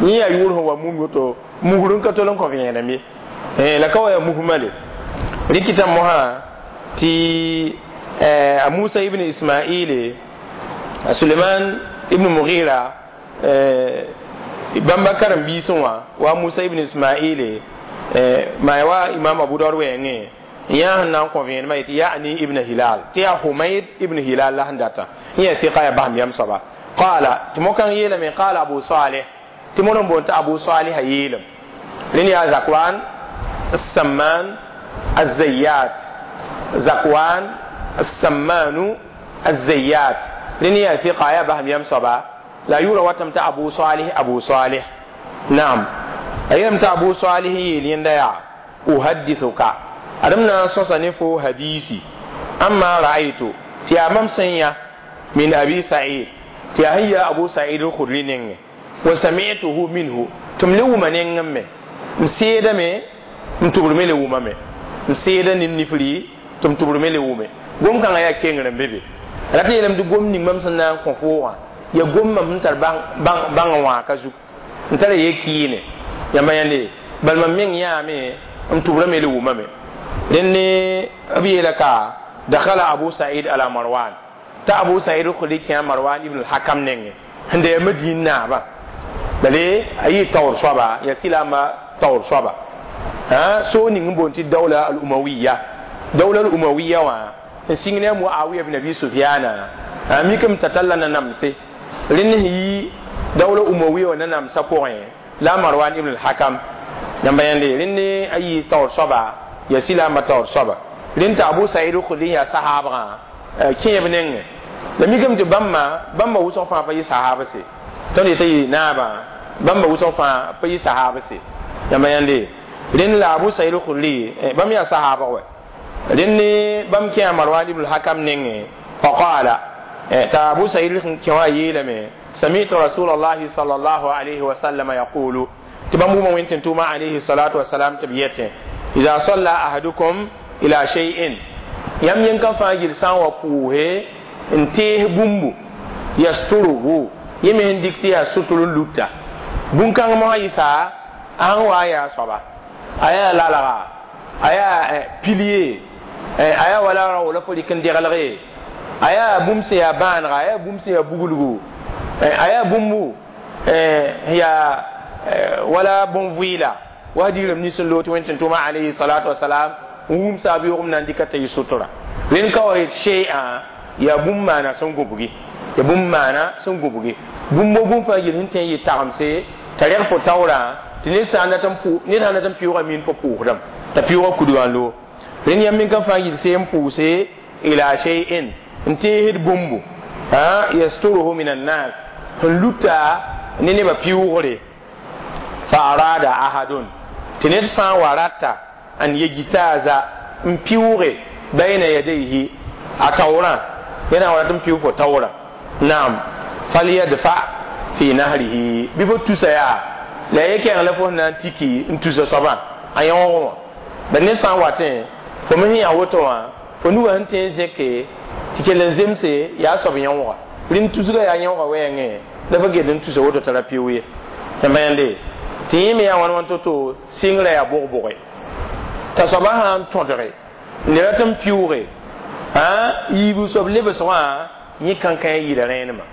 Speaker 1: yẽ yaa yʋʋr sẽn wa mum woto musr n ka tol n kõ vẽenem ye la ka wa yaa muhmale rikita moha ti Musa ibn Ismail Suleiman ibn Mughira bamba karam bisin wa wa Musa ibn Ismail ma wa Imam Abu Dawud wenge ya nan ko vien ma yani ibn Hilal ti ya Humayd ibn Hilal la handata ya thiqa ya bahm yam saba qala timokan yela min qala Abu Salih timonon bonta Abu Salih yelam lin ya Zakwan السمان الزيات Zakwan As-Sammanu Az-Zayyat rẽnd yaa fiqa yaa basem yam soaba la a yʋʋra watame t'a Abu Salih Abu Salih naam a yeelame t'a Abu Salih yeel yẽnda yaa uhaddithuka adem na n sõsa ne fo hadisi amma ra'aytu tɩ yaa mam sẽn yã min Abi Sa'id tɩ yaa sẽn yaa Abu Sa'id al-Khudri nengẽ wa sami'tuhu minhu tɩ m le wʋma nengẽ me m seedame m tʋbr me le wʋmame m seeda ne m nifri tɩ m tʋbr me le wʋme gom kãngã yaa kengr n be be rat n yeelame tɩ gom ning mam sẽn na n kõ fo wã ya gom mam sẽn tar bãng wã ka zug n tara ye kɩɩne yãmba yãnde bal mam meng yãame m tʋbrame le wʋmame rẽnd ne b yeela ka dakhala Abu Sa'id ala Marwan t'a Abu Sa'id al-Khudri kẽa Marwan ibn al-Hakam nengẽ sẽn da yaa Madin naaba bale a yɩ taoor soaba yaa silaamba taoor soaba so ning n boond tɩ dawla al-umawiya dawla al-umawiya wã n sɩng ne a Muawiya ibn Abi Sufyana a mikame t'a talla nanamse rẽnd sẽn yi dawla umawiya wã nanamsã pʋgẽ la Marwan ibn al-Hakam yãmba yãnde rẽnd ne a yɩ taoor soaba yaa silaamba taoor soaba rẽnd t'a Abu Sa'id al-Khudri yaa sahaabgã kẽeb nengẽ la mikame tɩ bãmba bãmba wʋsg fãa pa yɩ sahaabse tõnd yetã yɩ naabã bãmba wʋsg fãa pa yɩ sahaabse yãmba yãnde rẽnd la Abu Sa'id al-Khudri bãmb yaa sahaabg wɛ rẽnd ne bãmb kẽa Marwan ibn al-Hakam nengẽ faqala t'a Abu Sa'id kẽ wã yeelame sami'tu rasulallahi sallallahu alayhi wa sallam yaqulu tɩ bãmb wʋma wẽn tɩ tʋʋma alayhi salatu wasalam tɩ b yetẽ idha salla ahadukum ila shay'in yãmb yẽn-kã fãa yel sã n wa pʋʋse n tees bũmbu yasturuhu yẽ me sẽn dɩk tɩ yaa sʋtr n luta bũn-kãng mosã yɩsa a sẽn wa yaa soaba a yaa lalga a yaa pilier a yaa wala rao la fo rɩk n deglge a yaa bũmb sẽn yaa bãanega a yaa bũmb sẽn yaa buglgu a yaa bũmbu yaa wala bõn-vɩɩla wa digrem nins n loog tɩ wẽn tɩ tʋma alayhi salatu wasalam n wum saab yoogem na n dɩka t'a yɩ sotora rẽnd ka wa yet shay'a yaa bũmb maana sẽn gũbgi ya bũmb maana sẽn gũbgi bũmb bũmb fãa yel sẽn tõe n yɩ tagemse t'a reg fo taoorã tɩ ned sã n dat n ned sã n dat n pɩʋʋga min fo pʋʋsdame t'a pɩʋʋga kudgã n loog rẽnd yãmb min-kã fãa yil see n pʋʋse ila shay'in n teesd bũmbu yasturuhu min annas sẽn luta ne nebã pɩʋʋgre fa arada ahadun tɩ ned sã n wa rata an yejtaza n pɩʋʋge bayna yadayhi a taoorã yẽ na n wa rat n pɩʋʋg fo taoorã naam falyadfa fi nahrihi bɩ fo tusa yaa la ye kẽng la fo sẽn na n tiki n tusa soabã a yõog wã ba ned sã n watẽ fo me sẽn yaa woto wã fo nugã sẽn tõe n zẽke tɩ kell n zemse yaa soab yõoga rẽnd tusga yaa yõoga wɛɛngẽ la fo get n tusa woto t'a ra pɩʋ ye yãmba yãnde tɩ yẽ me yaa wãn wãn to-to sɩngrã yaa bʋg-bʋge t'a soabã sã n tõdge n le rat n pɩʋʋge yiibu soab lebsg wã yẽ kãnkã yɩɩda rẽenemã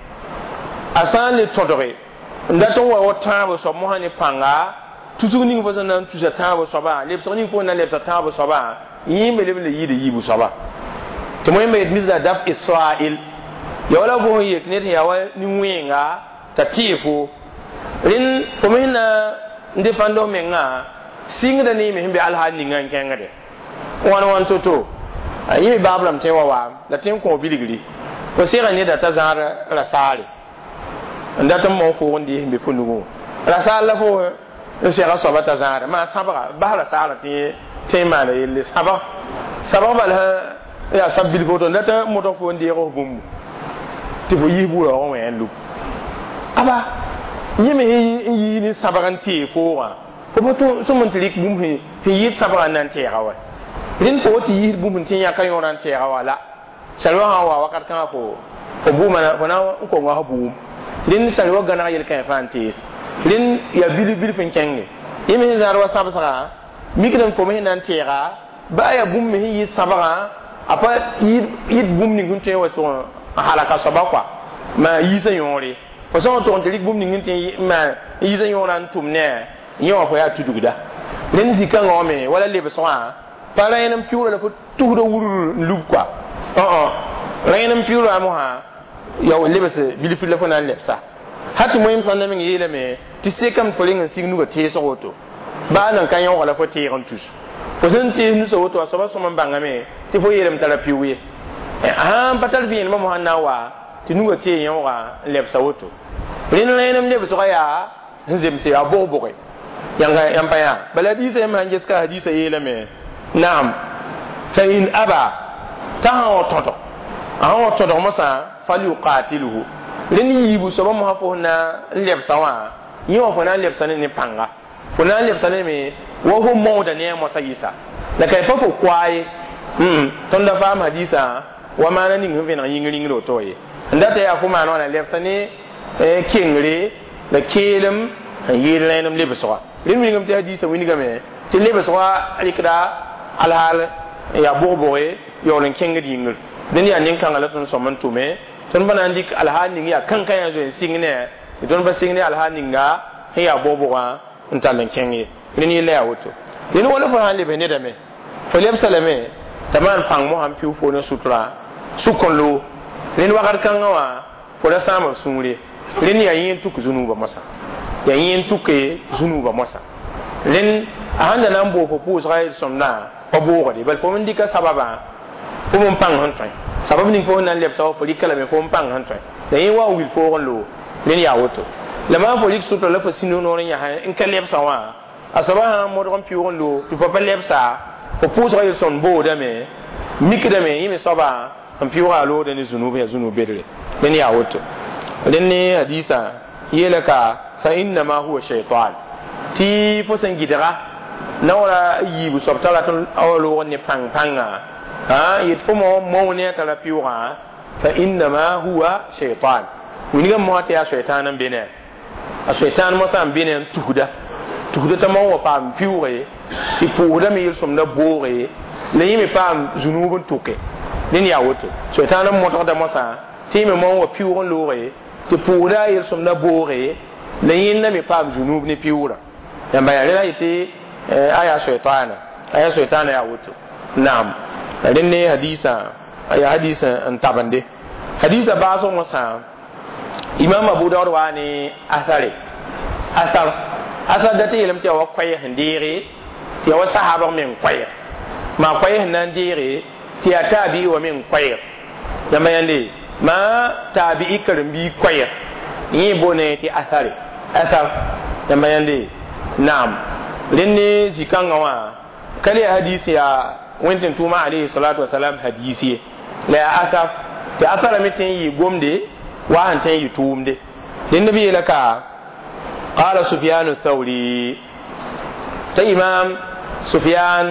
Speaker 1: a sã n le tõdge n dat n wa wa tãab soab mosã ne pãnga tusg ning fo sẽn na n tusa tãab soabã lebsg ning fo na n lebsa tãab soabã yẽ me leb n le yɩɩda yiibu soaba tɩ moẽ me yet misda daf israil ya wala fo sẽn yet ned sẽn yaa wa nin-wẽenga t'a tɩɩ fo rẽnd fo me sẽn na n defãnd f mengã sɩngda ne yẽ me sẽn be alhaal ninga n kẽngde wãn wãn to-to yẽ me baab rãmb tõe wa waam la tõe n kõ bilgri fo sega neda t'a zãad rasaare n dat n mong foog n dɩɩs n be fo nugẽ rasaar la fo n sega soaba t'a zãada maa sãbga bas rasaarã tɩ tõe n maana yelle sãbg sãbg bal sã yaa sab bilg woto n dat n modg fo n deeg f bũmbu tɩ fo yis bu-raoogẽ wẽ n lub aba yẽ me n yii ne sãbg n tee foogã fo pa sõm n tɩ rɩk bũmb sẽn yɩɩd sãbgã n na n tɛɛga wa rẽnd fo tɩ yis bũmb tɩ yãka yõorã n tɛɛga wa la salwa sã n wa wakat kãngã fo fo bʋʋma fo na n konga f bʋʋm rẽnd salwa gãneg yel-kãe fãa n tees rẽnd yaa bilf bilf n kẽnge yẽ me sẽn zãad wa sãbsgã mikdame fo me sẽn na n tɛɛga baa yaa bũmb me sẽn yɩ sãbgã a pa yɩd bũmb ning sẽn tõe n wa tʋg n halaka soaba kɔa maa yiisã yõore fo sã n tʋg n tɩ rɩk bũmb ning n tẽ maa yiisã yõorã n tʋm ne yẽ wã fo yaa tudgda rẽnd zĩ-kãngã wã me wala lebsgã pa rẽen n pɩʋʋra la fo tusda wurr n lub kɔa rẽen n pɩʋʋra mosã ya lebs bilf la fo na n lebsa ha tɩ moẽm sãn na meng yeelame tɩ sekame fo reng n sig nugã teesg woto baa nan ka yõoga la fo teeg n tus Fo sẽn tɩ nusa woto a soaba sõm n bãngame tɩ fo yeelame t'a ra piʋʋg ye. Sãn pa tar vẽenemã mosã n na n wa tɩ nugã tee yõoga n lebsa woto. Rẽnd rẽenem lebsgã yaa sẽn zemse yaa bog-boge. Yãnga yãmb pa yaa. Bala hadiisã yãmb sãn ges ka hadiisã yeelame naam fa in aba t'a sã wa tõdg a sã wa tõdg mosã falyuqatilhu rẽnd yiibu soaba mosã fo sẽn na n lebsa wã yẽ wã fo na n lebsa ne ne pãnga fo na n lebsa ne me wa fo maooda ne a moasã yɩsa la ka pa fo koa ye tõnd da faam hadiisã wa maana ning sẽn vẽneg yĩng ringr woto ye n data yaa fo maan wãna lebsa ne kengre la keelem n yeel rẽenem lebsga rẽnd wingame tɩ hadiisã wingame tɩ lebsga rɩkda alhaal yaa bog-boge yaool n kẽngd yĩngr dẽnd yaa nin-kãngã la tõnd sõm n tʋme tõnd pa na n dɩk alhaal ning yaa kãnkã yaa zoe n sɩng ne tɩ tõnd pa sɩng ne alhaal ninga sẽn yaa bog-bogã n tall n kẽng ye rẽnd yella yaa woto rẽnd wala fo sã n lebs nedame fo lebsa lame t'a maan pãng mosã n pɩʋ fo ne sutra sʋk n loog rẽnd wakat kãngã wã fo ra sãama b sũur ye rẽnd yaa yẽ n tuk zũnuubã moasã yaa yẽ n tuke zũnuubã moasã rẽnd a sãn da na n boog fo pʋʋsga yel-sõmdã pa boogde bal fo n dɩka sababã fo n pãng sẽn tõe sabab ning fo sẽn na n lebsa wa fo rɩka lame fo n pãng sẽn tõe la yẽ wa n wil foog n loog rẽnd yaa woto la maan fo rɩk sʋtra la fo sĩnd noor n yãs n ka lebsã wã a soaba sã n modg n pɩʋʋg n loog tɩ fo pa lebsa fo pʋʋsga yel-sõmd boodame mikdame yẽ me soaba n pɩʋʋga a loogda ne zũnub yaa zũnub bedre rẽnd yaa woto rẽnd ne hadiisã yeela ka fa innama huwa shaitan tɩ fo sẽn gɩdga naoora yiibu soab t'a rat n wa loog ne pãng pãnga yet fo mo mao ne a tara pɩʋʋgã fa innama huwa shaitan wingame mosã tɩ yaa shaitan n be ne a shaitan mosã n be ne n tusda tusda t'a mao wa paam pɩʋʋge tɩ pʋʋsdame yel-sõmda booge la yẽ me paam zũnuub n tʋke rẽnd yaa woto shaitan n modgda mosã tɩ yẽ me mao wa pɩʋʋg n looge tɩ pʋʋsda yel-sõmda booge la yẽnda me paam zũnuub ne pɩʋʋrã yãmba yaa rẽla yetɩ aya shaitana aya shaitana yaa woto naam rẽnd ne hadiisã yaa hadiis n tabende hadiisã baasg mosã imam abu daud waa ne asare asar asar dat yeelame tɩ yaa wa koɛɛg sẽn deege tɩ yaa wa sahaabg meng koɛɛg maa koɛɛg sẽn na n deege tɩ yaa taabi'i wa meng koɛɛg yãmba yãnde maa taabi'i karen-biig koɛɛg yẽ boone tɩ asare asar yãmba yãnde naam rẽnd ne zĩ-kãngã wã ka le hadis yaa wẽnd tɩ tʋʋma alayhi salatu wasalam hadis ye la yaa asar tɩ asara me tõe n yɩ gomde wa sẽn tõe n yɩ tʋʋmde rẽnd b yeela ka قال سفيان الثوري تا إمام سفيان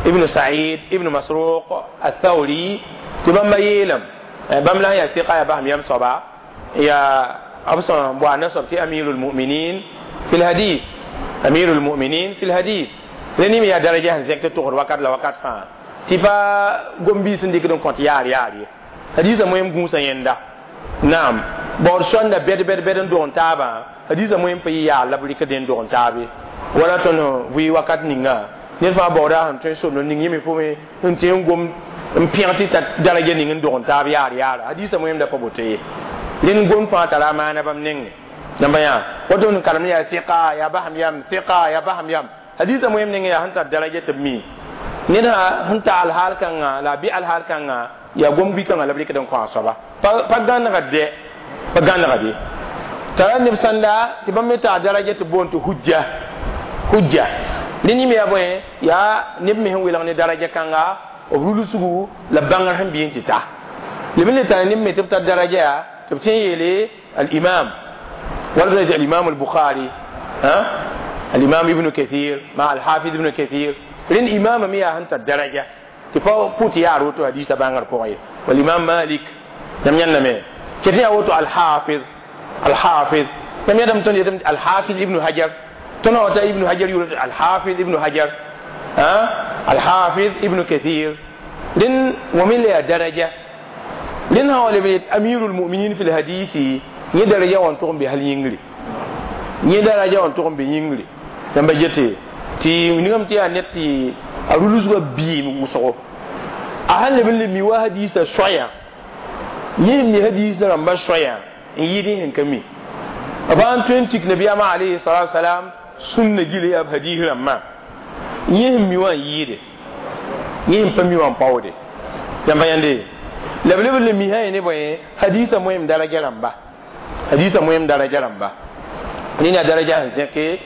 Speaker 1: ابن سعيد ابن مسروق الثوري تبما يلم بام لا يا ثقة يا بهم يم صبا يا أبصر بوا نصب في أمير المؤمنين في الحديث أمير المؤمنين في الحديث لأني يا درجة هنزك تطور وقت لا وقت فان تبا gombi sẽn dɩkd n kõt yaar yaar ye hadiisã moem gũusã yẽnda naam baood sõnda bɛd bɛd bɛd n dog n taabã hadiisã moem pa yɩ yaar la b rɩkd n dog n taabe wala tõnd vɩ wakat ninga ned fãa baooda sẽn tõe n somd ning yẽ me fo me n tɩ n gom n pẽg tɩ ta daraja ning n dog n taab yaar yaara hadiisã moem da pa boto ye rẽnd gom fãa tara a maana bãmb nengẽ namba yã woto n karem yaa sɩka yaa basam yam sɩka yaa basam yam hadiisã moem nengẽ yaa sẽn tar daraja tɩ b mi ned sẽn ta alhaal kãnga la a bɩ alhaal kãnga yaa gom bɩ-kãngã la b rɩkd n kõ a soaba pa gãnegd dɛ pa gãnegd ye tara neb sãnda tɩ bãmb me taa daraja tɩ boond tɩ hujja hujja rẽnd yẽ me yaa bõe yaa neb me sẽn welg ne daraja kãnga b rulsgu la bãngr sẽn bɩ n tɩ ta leb n le tara neb me tɩ b tar daraja yaa tɩ b tõe n yeele al-imam wala b al-imam al-bukhari al-imam ibn kathir ma al-hafiz ibn kathir rẽnd imaama me yaa sẽn tar daraja tɩ pa pʋt yaar woto hadiisã bãngr pʋgẽ ye walimam malik yãmb yãndame ket yaa woto alhafiz alhafiz yãmb yãdame tõnd yetame alhafiz ibnu hajar tõnd wa ta ibnu hajar yʋʋr alhafiz ibnu hajar alhafiz ibnu kathir rẽnd wa me le yaa daraja rẽnd sã wa leb yet amiru lmuminin fi lhadisi yẽ daraja wã n tʋg n be hal yĩngre yẽ daraja wã n tʋg n be yĩngre yãmba gete tɩ ningame tɩ yaa ned tɩ a rulsgã biim wʋsgo a sãn leb n le mi wa hadiisã soayã yẽ mi hadiisã rãmbã soayã n yɩɩd yẽ sẽn ka mi b sã n tõe n tik nabiyaamã alayhi salatu wasalam sũnna gil yaa b hadiis rãmbã yẽ sẽn mi wã n yɩɩde Yẽ pa mi wã n paoode yãmba yãnde la b leb n le misã ye ne bõe hadisa moem daraja rãmba hadisa moem daraja rãmba nina daraja sẽn zẽke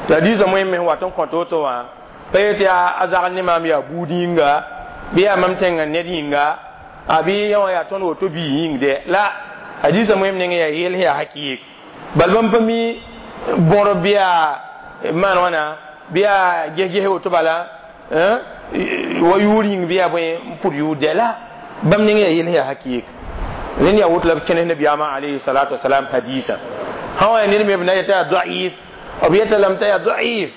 Speaker 1: tɩ hadisa moem me sẽn wat n kõt woto wã pa yetɩ yaa a zagl ne maam yaa buud yĩnga bɩ yaa mam tẽngã ned yĩnga a bɩ yã wã yaa tõnd woto bii yĩng dɛ la hadisa moem nengẽ yaa yel sẽn yaa hakɩɩk bal bãmb pa mi bõr bɩ yaa maan wãna bɩ yaa ges-ges woto bala wa yʋʋr yĩng bɩ yaa bõe n pʋd yʋʋr dɛ la bãmb nengẽ yaa yel sẽn yaa hakɩɩk rẽnd yaa woto la b kẽnes nabiyaamã alayhi salatu wasalam hadisa sã wã yaa ned me b na yeta yaa daif b yeta lame t'a yaa daif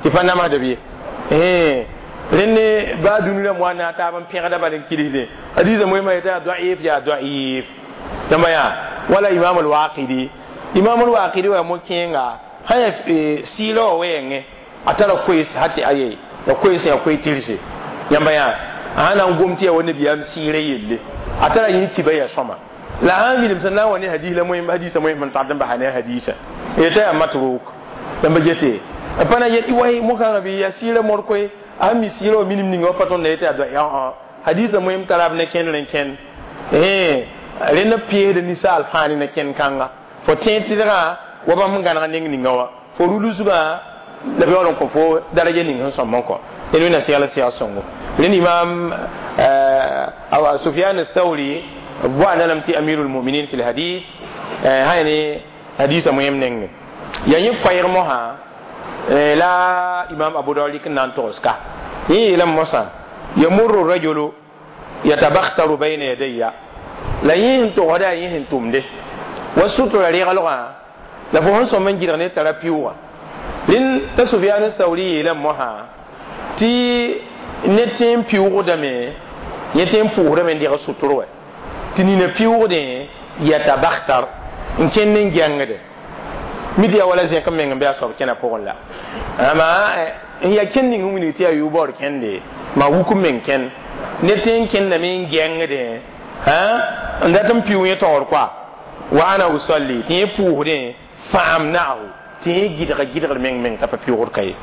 Speaker 1: tɩ pa namsda b ye rẽnd baa dũni rãmb wa na taab n pẽgda bal n kilisdẽ hadisa moẽmã yeta yaa daif yaa daif yãmba yaa wala imam alwaqidi imam alwaqidi wa mo-kẽenga sã yaa sɩɩla wã wɛɛngẽ a tara koees ha tɩ aye ya koees yaa koe tɩrse yãmba yaa a sã na n gom tɩ yaa wa nabiyaam sɩɩrã yelle a tara yẽ kiba yaa sõma la sã n wilem sẽn na n wa ne hadis la moẽm hadisa moẽm n tard n basa ne a hadisa yeta yaa matruk yãmba gete pa na yet way mokãngã bɩ yaa sɩɩrã mor koe a sẽn mi sɩɩrã wa minim ninga wa pa tõnd na yeta yaa hadisa moẽm tara b ne kẽndr n kẽnd rẽnd peesd ninsaal fãa ne kẽnd kãnga fo tẽed tɩdgã wa bãmb sẽn gãneg neng ninga wã fo rulsgã la b yaool n kõ fo daraja ning sẽn sõm n kõ ned wẽnna segl sɛg sõngo rẽnd imam Sufyan Thawri boanda lame tɩ amirul muminin fi lhadith sã ne hadisa moẽm nengẽ ya yẽ koɛɛg mosã la imam Abu Dawud rɩk n na n togs ka yẽ yeelame mosã yamurru rajulu yatabakhtaru bayna yadayya la yẽ sẽn togsda yẽ sẽn tʋmde wa sutura reglgã la fo sẽn sõm n gɩdg ne tara pɩʋʋga rẽnd t'a Sufyan Thawri yeelame mosã tɩ ne tẽ n pɩʋʋgdame yẽ tẽ n pʋʋsdame n deg sʋtr wɛ tɩ nina pɩʋʋgdẽ yatabakhtar n kẽnd n gɛngde mi tɩ yaa wala zẽk n meng n bɩ a soab kẽna pʋgẽ la ama n yaa kẽnd ning sẽn wilg tɩ yaa yʋ-baoor kẽnde maa wuk n meng kẽnd ne tẽ n kẽndame n gɛngdẽ n dat n pɩʋ yẽ taoor koa wa ana usalli tɩ yẽ pʋʋsdẽ faamnaahu tɩ yẽ gɩdga gɩdgr meng meng t'a pa pɩʋʋgd ka ye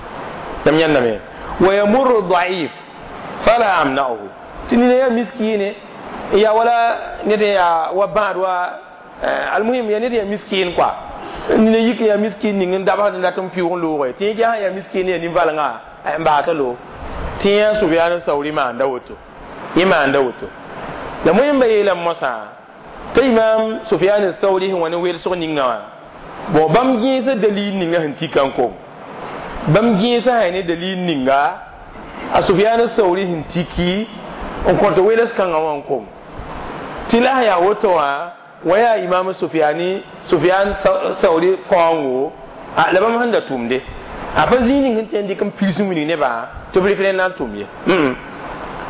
Speaker 1: yãmb yãndame wa yamurru daif fala amnaahu tɩ nina yaa miskiine yaa wala ned yaa wa bãad wa almuhim yaa ned yaa miskin quoi nina yik yaa miskin ning n dabsd n dat n pɩʋʋg n loogɛ tɩ yẽ ges yaa miskin yaa nin-valengã n baata lo tɩ yã Sufyaan Sauri maanda woto yẽ maanda woto la moẽmba yeelame mosã t'a imam Sufyaan Sauri sẽn wa ne welsg ninga wã bon bãmb gẽesa dalil ninga sẽn tika n kong bãmb gẽesã sã ne dalil ninga a Sufyaan Sauri sẽn tiki n kõt weels kãngã wã n kong tɩ la sã yaa woto wã wa yaa imam Sufyani Sufyan Sauri faoongo la bãmb sẽn da tʋmde a pa zĩig ning sẽn tẽ n dɩk n pirs n wilg nebã tɩ b rɩk rẽnd na n tʋm ye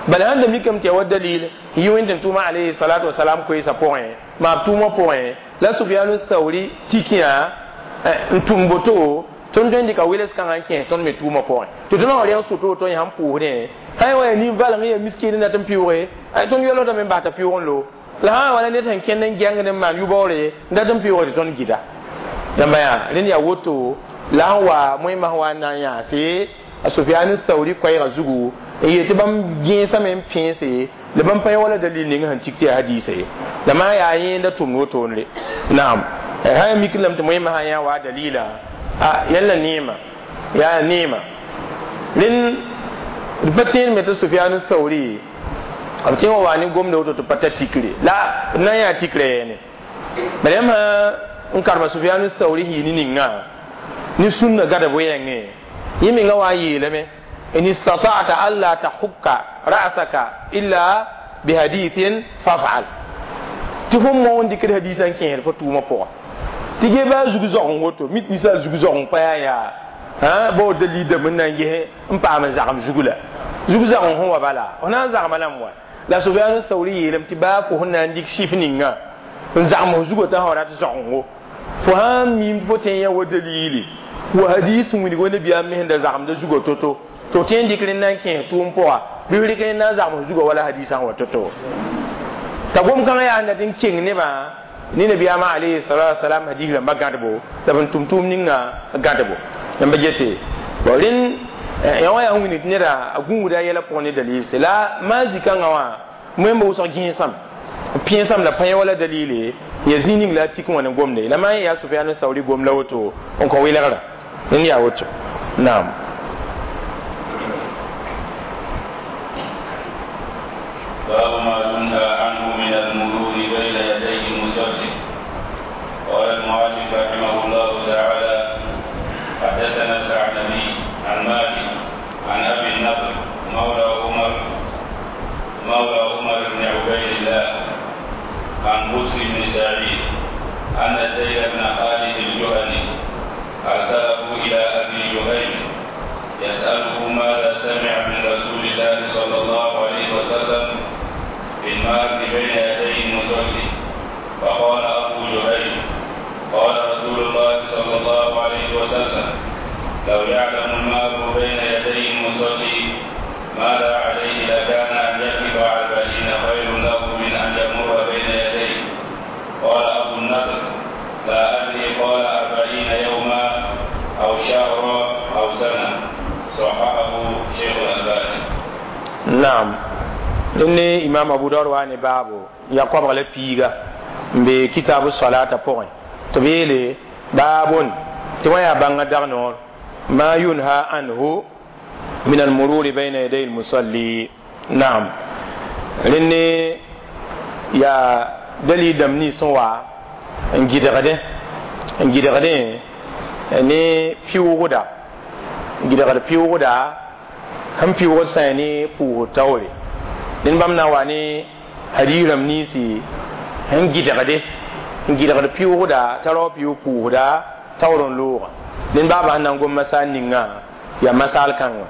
Speaker 1: bala sẽn da mikame tɩ yaa wa dalil n yɩ wẽnd tʋʋma alayhi salatu wasalam koeesã pʋgẽ maab tʋʋmã pʋgẽ la Sufyan Sauri tikiyã n tʋm boto tõnd tõe n dɩka weels kãngã n kẽes tõnd me tʋʋmã pʋgẽ tɩ tõnd wa rẽng sʋtʋ woto yã sẽn pʋʋsdẽ sã wa yaa nin-valeng yaa miskiin n dat n pɩʋʋge tõnd yolsdame n bas t'a pɩʋʋg n loog la sã wala ned sẽn kẽnd n gɛngd n maan yʋ-baoore n dat n pɩʋʋge tɩ tõnd gɩda yãmba yaa rẽnd yaa woto la sẽn wa moẽmã sẽn wa n na n yãase a Sufyan Sauri koɛɛgã zugu n yeel tɩ bãmb gẽesame n pẽese la bãmb pa wala dalil ning sẽn tik tɩ yaa hadiisa ye la maa yaa yẽnda tʋmd wotone naam sã yaa mik lame tɩ moẽmã sã yã wa dalila a yãlla neema yaa neema rẽnd d pa tẽed me tɩ Sufyan Sauri b tẽ wa wa ne gomda woto tɩ pa ta tikre la d na n yaa tikrã yɛɛne bala yãmb sã n karema Sufyan Sauri yɩ ne ninga ne sũnna gada wɛɛngẽ yẽ menga wa n yeelame in istata'ta alla tahukka ra'saka illa bihadithin faf'al tɩ fõm moon dɩkd hadisã n kẽesd fo tʋʋmã pʋga tɩ ge baa zug zogẽ woto mit ninsaal zug zogẽ pa yaa yaa bao dalil dãmb n na n ges n paam n zagem zugu la zug zagẽ sẽn wa bala f na n zagma lame wa la Sufyan Sauri yeelame tɩ baa fo sẽn na n dɩk sɩf ninga n zagem f zugã t'a sã rat zogengo fo sã n miim fo tẽ yã wa dalili wa hadis n wilg wa nabiyaam me sẽn da zagemda zugã to-to tɩ f tẽ n dɩk rẽnd na n kẽes tʋʋm pʋga bɩ f rɩk rẽnd na n zagem f zugã wala hadisã sẽn wa to-to t'a gom-kãngã yaa sẽn dat n keng nebã ne nabiyaamã alayhi salatu wasalam hadis rãmbã gãdbo la b n tʋm tʋʋm ninga gãdbo yãmba gete bon rẽnd Ya wa ya wĩnd tɩ neda a gũuda a yɛla pʋgẽ ne dalilse la maan zĩ-kãngã wã wẽmba wʋsg gẽesame pẽesam la pa wala dalile ya zĩ ning la a tik wã ne gomde la maan yaa Sufyan Sauri gom la woto n kõ welgra n yaa woto naam.
Speaker 2: باب ما ينهى عنه من المرور بين يدي المصلي. قال المؤلف رحمه الله تعالى: حدثنا الثعلبي عن مالك عن ابي النضر مولى عمر مولى عمر بن عبيد الله عن بسر بن سعيد أن زيد بن خالد الجهني أرسله إلى أبي جهيم يسأله ماذا سمع من رسول الله صلى الله عليه وسلم في المار بين يدي المصلي. فقال أبو جهيم: قال رسول الله صلى الله عليه وسلم: لو يعلم المار بين يدي المصلي ماذا عليه لكان أن يقف أربعين خير له من أن يمر بين يديه. قال أبو النضر: لا أدري، قال أربعين يوما أو شهرا أو سنة. صححه شيخ الألباني.
Speaker 1: نعم. إني إمام أبو داود واني بابو يقوم على بيغا بكتاب الصلاة بوين تبيلي بابون توايا بانغا دغنور ما ينهى عنه من المرور بين يدي المصلي. نعم. لأني يا دلي دمني سوا نجد غده نجد غده ني بيوغدا نجد غده بيوغدا هم بيوغد ساني بو تاوري لأن بامنا واني هديرم نيسي نجد غده نجد غده بيوغدا ترى بيو بوغدا تاورون لوغا لأن بابا نانغوم مسان نينغا يا مسال كانوا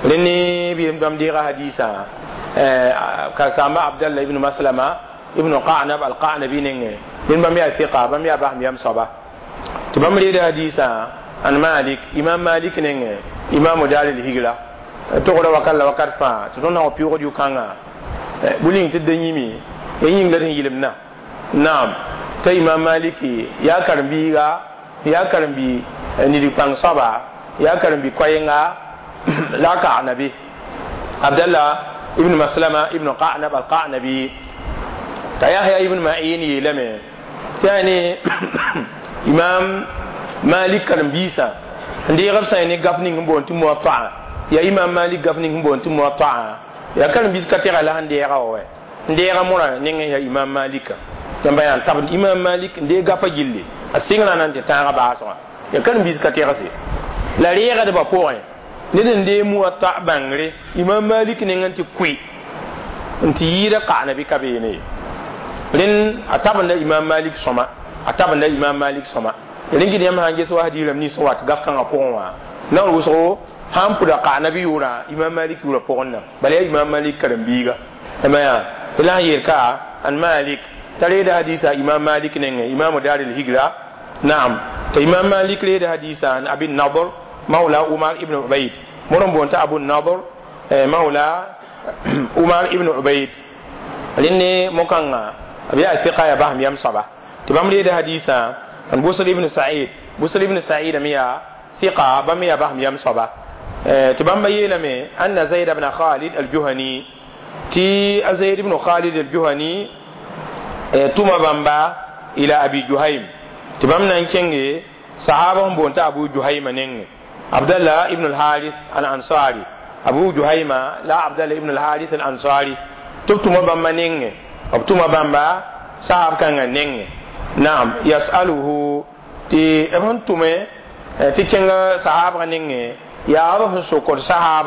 Speaker 1: لأني بيم ديغا حديثا كسامة عبد الله ابن مسلمة ابن قعنب القعنبي نينغ لأن بام يا ثقة بام يا بام يام صبا تبام لي حديثا عن مالك إمام مالك نينغ إمام دار الهجرة تقول وكلا وكرفا تدون هو بيوغ ديو كانغا بولين تدنيمي يين غير يلمنا. نعم. تا إمام مالك يا كرمبيغا يا كرمبي نيدي بان صبا يا كرمبي كوينغا لا قعنبي عبد الله ابن مسلمة ابن قعنب القعنبي تيحيى ابن معين يلمه تاني إمام مالك كرمبيسا عندي غبسا يعني غفني نبون تموطع يا إمام مالك غفني نبون تموطع يا كرمبيس كتير على عندي غاوة عندي غمورة نين يا إمام مالك تبين طب إمام مالك عندي غفا جلي السينغ أنا أنت تاعي بعصا يا كرمبيس كتير سي لا ريغة دبا ned n dee muwatta bãngre Imam Malik nengã tɩ kʋɩ n tɩ yɩɩda qanabi ka beene rẽnd a tabenda Imam Malik sõma a tabenda Imam Malik sõma rẽn gɩd yãmb sã n ges wa hadiiram nins n wat gaf kãngã pʋgẽ wã naoor wʋsgo sã n pʋda qanabi yʋʋra Imam Malik yʋʋra pʋgẽ na bala yaa Imam Malik karen-biiga yaa la sẽn yeel ka an Malik t'a reeda hadiisa Imam Malik nengẽ Imam Dar el-Higra. Naam. T'a Imam Malik reeda hadiisa an Abi Nadr مولى عمر ابن عبيد مرن بونت أبو النضر مولى عمر ابن عبيد لأني مكان أبي الثقة يا بهم يم صبا تبام لي ده حديثا عن بوصل ابن سعيد بوصل ابن سعيد ميا ثقة بام يا بهم يم صبا تبام بيلمي أن زيد بن خالد الجهني تي زيد بن خالد الجهني توما بامبا إلى أبي جهيم تبام نانكينغي صحابهم بونت أبو جهيم نينغ عبد الله ابن الحارث الأنصاري أبو جهيمة لا عبد الله ابن الحارث الأنصاري تبتما بامبا نينغ تبتما بامبا صاحب كان نينغ. نعم. يسأله تي ابن تومي تي كان صحاب نينغ يا روح سكر صحاب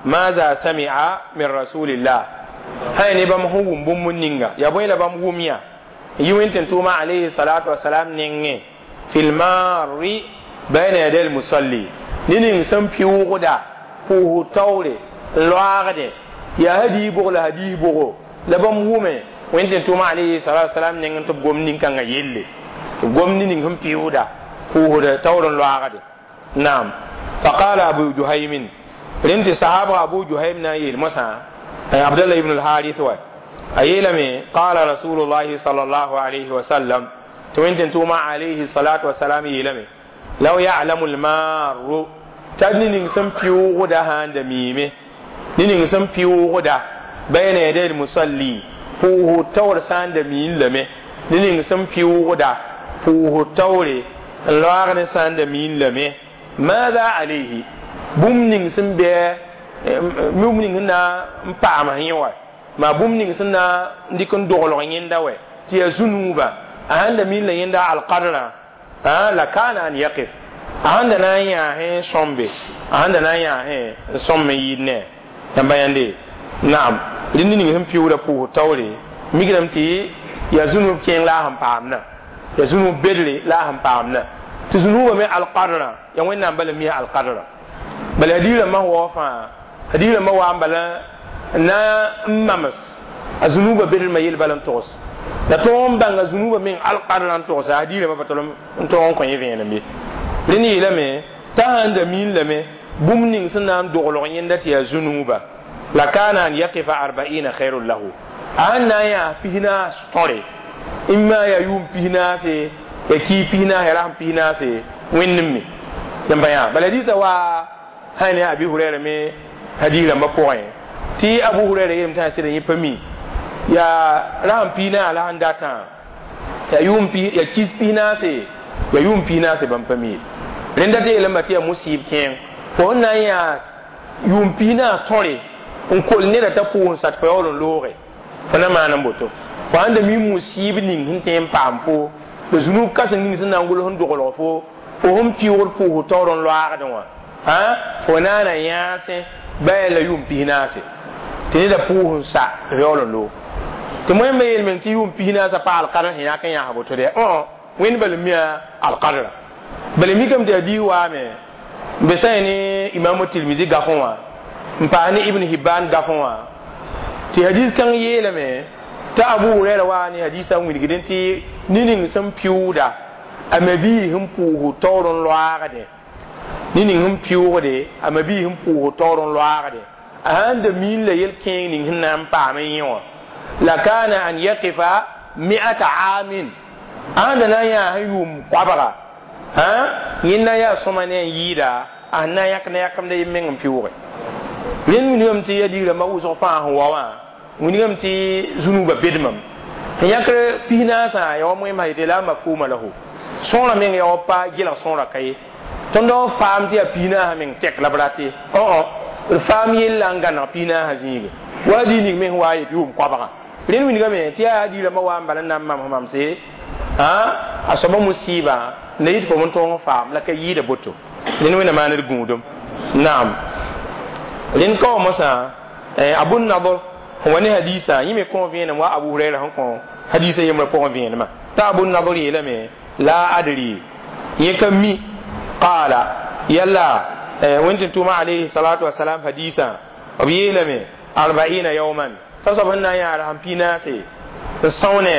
Speaker 1: ماذا سمع من رسول الله هاي نبام هو بوم نينغ يا بوي لبام وميا يوين توما عليه الصلاة والسلام نينغ في المار بين يدي المصلي نين سم بيوغدا بو تاوري لواغده يا هدي بوغ لا هدي بوغ لبام ومي وين توما عليه الصلاة والسلام نين تب غوم نين كان يلي غوم نين هم بيودا بو تاورن لواغده. نعم. فقال أبو جهيم رنت صحابة أبو جهيم نايل مسا عبد الله بن الحارث و أيلمي قال رسول الله صلى الله عليه وسلم توين توما عليه الصلاة والسلام يلمي لو يعلم المار t'a ning sẽn pɩʋʋgda sãn da miime ne ning sẽn pɩʋʋgda bayna yaday al-musalli pʋʋsg taoor sã n da miin lame ne ning sẽn pɩʋʋgda pʋʋsg taoore n loaag ne sã n da miin lame maada alayhi bũmb ning sẽn bɩ bũmb ning sẽn na n paam yẽ wa maa bũmb ning sẽn na n dɩk n doglg yẽnda wɛ tɩ yaa zũnuuba a sãn da miin la yẽnda alqadrã la kana an yaqif a sãn da na n yãasẽ sõmbe a sãn da na n yãasẽ n sõm n yɩɩd ne yãmba yãnde naam rẽnd ning sẽn pɩʋʋda pʋʋsg taoore mikdame tɩ yaa zũnuub kẽeng la a sẽn paamdã yaa zũnuub bedre la a sẽn paamdã tɩ zũnuubã me alqadrã yaa wẽnnaam bala mia alqadrã bala hadiis rãmbã sẽn waoog fãa hadiis rãmbã waa n bala n na n mams a zũnuubã bedrmã yel bala n togs la tõog n bãnga zũnuubã meng alqadrã n togsa hadiis rãmbã pa tol n tõog n kõ yẽ vẽenem ye rẽnd yeelame t'a sãn da miin lame bũmb ning sẽn na n doglg yẽnda tɩ yaa zũnuuba la kana an yaqifa arba'ina khairun lahu a sãn na n yaa pisnaas tõre imma yaa yʋʋm pisnaase ya kii pisnaas ya rasem pisnaase wẽnd n me yãmba yã bala hadiisã waa sã ne abi hurɛra me hadiis rãmbã pʋgẽ tɩ abu hurɛra yeelame t'a sɩda yẽ pa mi yaa rasem pisnaas la sẽn datã yaa yʋʋm yaa kis pisnaase yaa yʋʋm pisnaase bãmb pa mi rẽnda tɩ yeelame tɩ yaa musɩɩb kẽeng fo sẽn na n yaa yʋʋm pisnaas tõre n kol neda t'a pʋʋs n sat fo yaool n looge fo na maan n boto fo sãn da mi musɩɩb ning sẽn tõe n paam fo la zũnub kãseng ning sẽn na n gʋls n doglg fo fo sẽn pɩʋʋgd pʋʋsg taoor n loaagdẽ wã fo naana yãasẽ ba la yʋʋm pisnaase tɩ neda pʋʋs n sa tɩ fo yaool n loog tɩ moẽmba yeel meng tɩ yʋʋm pisnaasã pa alqadr sẽn yãk n yãs boto dɛ wẽnd bala mia alqadra bala mikame tɩ hadiis waame n be sã ne imamu tirmisi gafẽ wã n paas ne ibn hibban gafẽ wã tɩ hadiis kãng yeelame t'a abu hurɛra waa ne hadiisã n wilgdẽ tɩ ne ning sẽn pɩʋʋda a mabii sẽn pʋʋsg taoor n loaagdẽ ne ning sẽn pɩʋʋgde a mabii sẽn pʋʋsg taoor n loaagdẽ a sãn da miin la yel-kẽeng ning sẽn na n paam n yẽ wã la kana an yaqifa mi'ata aamin a sãn da na n yaa sẽn yʋʋm koabga yẽnda yaa sõma ne n yɩɩda a sẽn na n yãk ne yãkemda yem meng n pɩʋʋge rẽnd wilgame tɩ ya digrãmbã wʋsg fãa sẽn wa wã wilgame tɩ zũnuubã bedmam sẽn yãkr pisnaasã ya wa moẽmsã yetɩ la mafhuma lahu sõora meng ya wa pa gelg sõora ka ye tõnd n faam tɩ yaa pisnaasã meng tɛk la b rat ye d faam yella n gãneg pisnaasã zĩige wa dii ning me sẽn wa yet yʋʋm koabga rẽnd wilgame tɩ yaa digrãmbã wa n bala n na n mams mamse a soaba musɩɩbã n da yit fo n tõog n faam la ka yɩɩda boto rẽnd wẽnna maan d gũudum naam rẽnd ka wa mosã abu nadr sẽn wa ne hadiisã yẽ me kõ vẽenem wa abu hurɛra sẽn kõ hadiisã yembrã pʋgẽ vẽenemã t'a abu nadr yeelame la adri yẽ ka mi qaala yalla wẽnd tɩ tʋʋma alayhi salatu wasalam hadiisã b yeelame arba'ina yawman t'a soab sẽn na n yaa rasem pinaase n sõone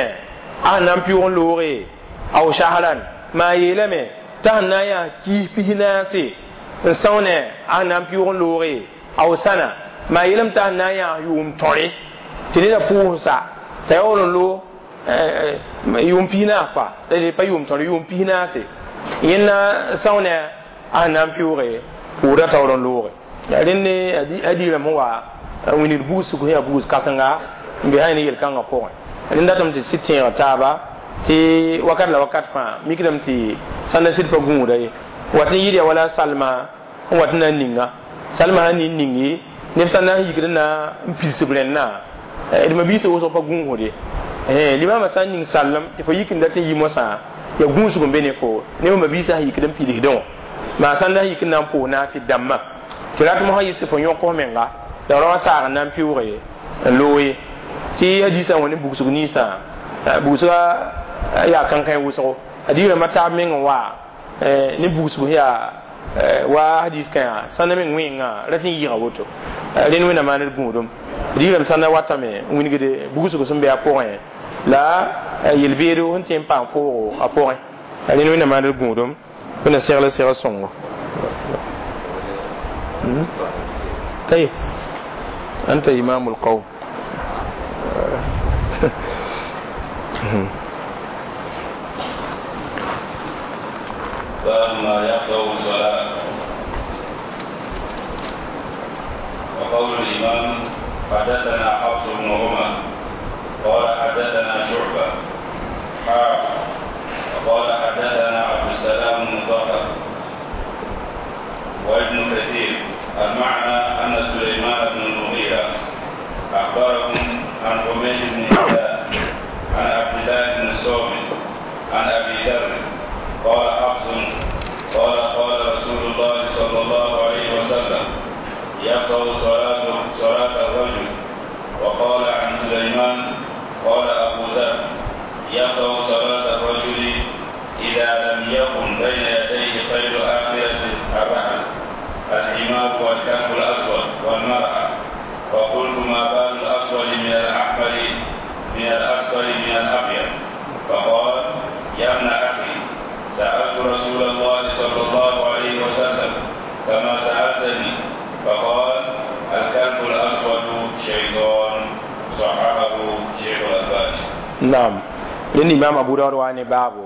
Speaker 1: a sẽn na n pɩʋg n looge aw shahran maa yeelame t'a sẽn na n yaa kiis pisnaase n sõone a sẽn na n pɩʋg n looge aw sana maa yeelame t'a sẽn na n yaa yʋʋm tõre tɩ neda pʋʋs sa t'a yaool n loog yʋʋm pisnaas pa pa yʋʋm tõre yʋʋm pisnaase yẽnna sõone a sẽn na n pɩʋʋge pʋʋda taoor n looge rẽnd hadiirãmb sẽn wa wilgd bugsg sẽn yaa bugs kãsenga n be sã ne yel-kãngã pʋgẽ rẽnd datame tɩ sɩd tẽeg taaba tɩ wakat la wakat fãa mikdame tɩ sãnda sɩd pa gũuda ye wat n yɩɩd ya wala salma n wat n na n ninga salma sãn nin ningi neb sã na n yikd n na n pids b rẽndã d mabiisã wʋsg pa gũusde limamã sã n ning sallem tɩ fo yik n dat n yi mosã ya gũusg n be ne fo neb mabiisã sẽn yikd n pidsdẽ wã maa sãn na n yik n na n pʋʋs naafɩ dãmbã tɩ rat mosã yɩs tɩ fo yõk f menga la rao saag n na n pɩʋʋge n loog ye tɩ hadiisã wã ne bugsg ninsã bugsga yaa kãnkãe wʋsgo hadiis rãmbã taab meng n waa ne bugsg sẽn yaa wa hadis kãa sãnda meng wẽnga rat n yɩɩga woto rẽnd wẽnna maan d gũudum digrame sãnda watame n wilgde bugsg sẽn be a pʋgẽ la yel-beedo sẽn tõe n paam foogo a pʋgẽ rẽnd wẽnna maan d gũudum wẽnna segl segl sõngo طيب أنت إمام القوم
Speaker 2: باب ما يقطع الصلاة. حدثنا حفص بن عمر قال حدثنا شعبة حا وقال حدثنا عبد السلام بن مطهر وابن كثير المعنى أن سليمان بن المغيرة أخبرهم عن حميد بن هلال عن عبد الله بن الصامت عن أبي ذر قال حفص قال قال رسول الله صلى الله عليه وسلم يقطع صلاة صلاة الرجل وقال عن سليمان قال أبو ذر يقطع صلاة الرجل إذا لم يكن بين يديه خير آخرة الرحل الحمار والكلب الأسود والمرأة فقلت ما بال الأسود من الأحمر من الأصفر من الأبيض فقال يا ابن أخي سألت رسول الله صلى الله عليه وسلم كما سألتني فقال الكلب الأسود شيطان صححه شيخ الألباني
Speaker 1: نعم لأن إمام أبو داود واني بابو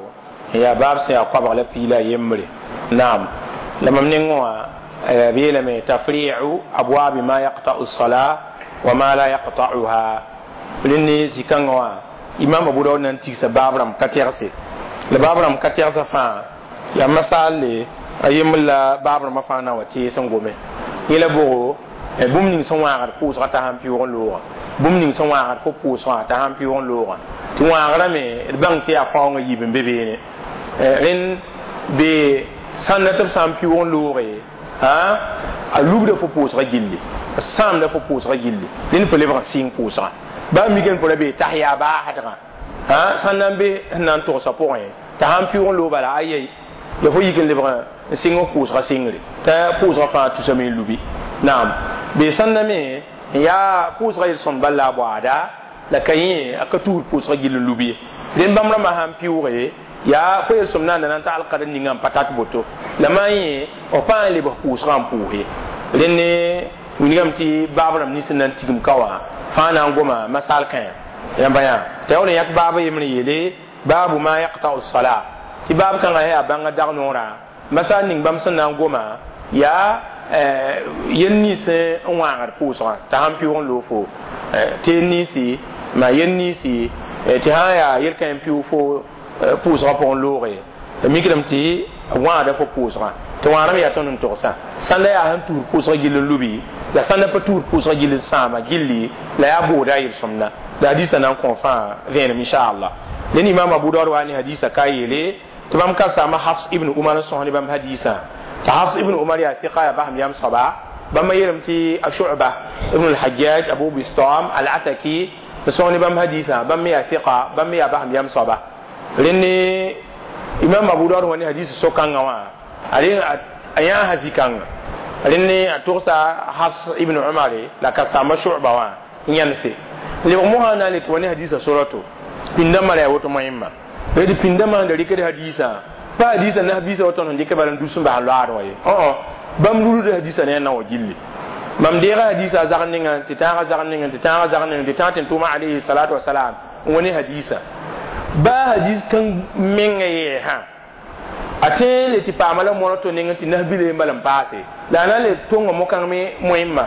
Speaker 1: يا باب سيا قبغ لبيلا يمري نعم لما من بيلم تفريع أبواب ما يقطع الصلاة وما لا يقطعها لأن زكان إمام أبو داود ننتيس بابرم كتيرسي لبابرم كتيرسي فان يا مسألة أيام لا بابرم فانا وتيسن غومي يلا بو bũmb ning sẽn wãagd pʋʋsgã t'a sãn pɩʋʋg n loogã bũmb ning sẽn wãagd fo pʋʋsgã t'a sãn pɩʋʋg n loogã tɩ wãagrã me d bãng tɩ yaa faoongã yiib n be beene rẽnd be sãnda tɩ b sã n pɩʋʋg n looge a lubda fo pʋʋsgã gilli a sãamda fo pʋʋsgã gilli rẽnd fo lebg n sɩng pʋʋsgã baa mikame fo ra bee tas yaa baasdgã sãn na n be sẽn na n togsã pʋgẽ t'a sãn pɩʋʋg n loog bala ayɛi ya fo yik n lebg n sɩng f pʋʋsgã sɩngre t'a pʋʋsgã fãa tusame n lubi naam be sãnda me n yaa pʋʋsgã yel-sõmd bal la a baoada la ka yẽ a ka tusd pʋʋsgã gill n lub ye rẽnd bãmb rãmbã sãn pɩʋʋge yaa fo yel-sõmd naanda na n tagl kad ninga n pa tat boto la maa yẽ f pa n lebg pʋʋsgã n pʋʋs ye rẽnd ne wilgame tɩ baab rãmb nins n na n tigim ka wã fãa na n goma masal kãe yãmba yã t'a yaool n yãk baab yembr n yeele baabu ma yaqta'u sala tɩ baab kãngã yaa bãngã dag noorã masal ning bãmb sẽn na n goma yaa yel nins n wãagd pʋʋsgã t'a sãn pɩʋʋg n loog fo tɩ ninsi ma yel ninsi tɩ sã n yaa yel-kã n pɩʋʋg fo pʋʋsgã pʋgẽ looge la mikdame tɩ wãagda fo pʋʋsgã tɩ wãagrame yaa tõnd n togsã sãnda yaa sẽn tuud pʋʋsgã gill n lubi la sãnda pa tuud pʋʋsgã gill n sãama gilli la yaa booda a yel-sõmda la hadisa na n kõ fãa vẽenem inchallah len imam abu daud wa ne hadisa ka yeele tɩ bãmb ka saama hafs ibn umar n sõs ne bãmb hadisã tɩ hafs ibn umar yaa tɩka yaa basem yam soaba bãmb yeelame tɩ a shu'ba ibn al-hajjaj abu bistam al-ataki n sõs ne bãmb hadisã bãmb me yaa tɩka bãmb me yaa basem yam soaba rẽnd imam abu daud wa ne hadis so-kãngã wã a yãasa zĩ-kãnga rẽnd ne a togsa hafs ibn umar la ka saama shu'ba wã n yãnse lebg mosã na n le tɩ wa ne hadisã sorato pĩndã mara yaa woto moẽmma d pĩndã sẽn da rɩkd hadisã pa hadisã nas-biisã wa tõnd sẽn dɩk bala n dus n bas n loaad wã ye bãmb rulda hadisã ne a na wã gilli mam deega hadisã a zagr ninga tɩ tãagã zagr ninga tɩ tãagã zagr ninga tɩ tãag tɩ n tʋʋma alayhi salatu wasalam n wa ne hadisã baa hadis kãng menga yɛɛsã a tõe le tɩ paama la moar to neng tɩ nas-bila n bala n paase la a na n le tonga mo-kãng me moẽmma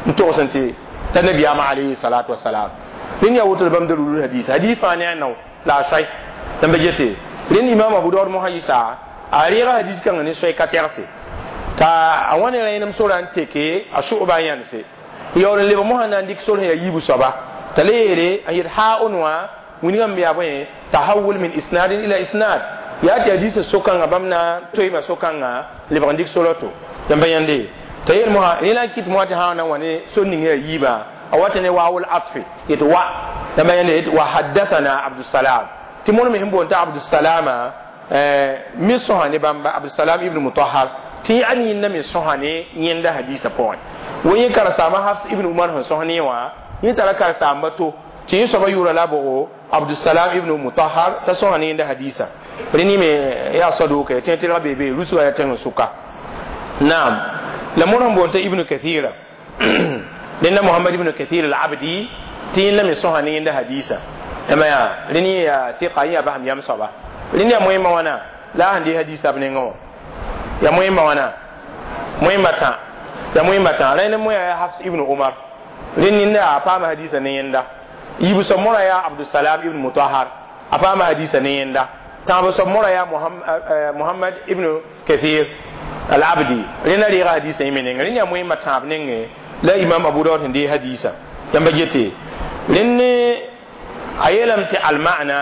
Speaker 1: n togs n tɩ t'a nabiyaamã alayhi salatu wasalam rẽnd yaa woto la bãmb da rulud hadis hadis fãa ne a nao la a soay tãmba gete rẽnd imam abu daud mosã yɩsa a reega hadis kãngã ne soay ka tɛgse t'a a wa ne rẽenem sora n teke a sʋ'ba n yãnse yaool n lebg mosã na n dɩk sor sẽn yaa yiibu soaba t'a le yeele a yet haa-on wã wilgame yaa bõe tahawul min isnadin ila isnad yaa tɩ hadisã so-kãngã bãmb na n toeema so-kãngã lebg n dɩk sora to yãmba yãnde t'a yeel mosã rẽ la n kɩt mosã tɩ sã na n wa ne sor ning yaa yiibã a wata ne waawul atfi yet wa yãmba yãnde yet wa haddathana abdussalam tɩ mõr me sẽn boond t'a abdussalama me sõsa ne bãmba abdussalam ibn mutahar tɩ yaa yẽnda me sõsa ne yẽnda hadisã pʋgẽ wa yẽ karen-saamba hafs ibn umar sẽn sõs ne wã yẽ tara karen-saamba to tɩ yẽ soaba yʋʋra la bogo abdussalam ibn mutahar t'a sõsa ne yẽnda hadisã rẽ me yaa saduka tẽ tɩlg be be rusga yaa tẽng sʋka naam la mõr sẽn boond t'a ibnu kathira rẽnda muhammad ibn kathir al-abdi tɩ yẽnda me sõsa ne yẽnda hadisã ema yaa rẽnd yẽ yaa tɩka yẽ yaa basem yam soaba rẽnd yaa moẽmba wãna la a sẽn dɩ hadisã b nengẽ wã yaa moẽmba wãna moẽmba tã yaa moẽmba tã rẽnd moẽ yaa hafs ibn umar Rẽnd ninda a paama hadiisã ne yẽnda. Yiib soab mora yaa Abdusalam ibn Mutahar, a paama hadiisã ne yẽnda. Tãab soab mora yaa Muhammad ibn Kathir al-Abdi, rẽnda reega hadiisã yẽ me nengẽ. Rẽnd yaa moẽmba tãab nengẽ la Imam Abu Dawud sẽn deeg hadiisã. Yãmba gete rẽnd a yeelame tɩ alma'na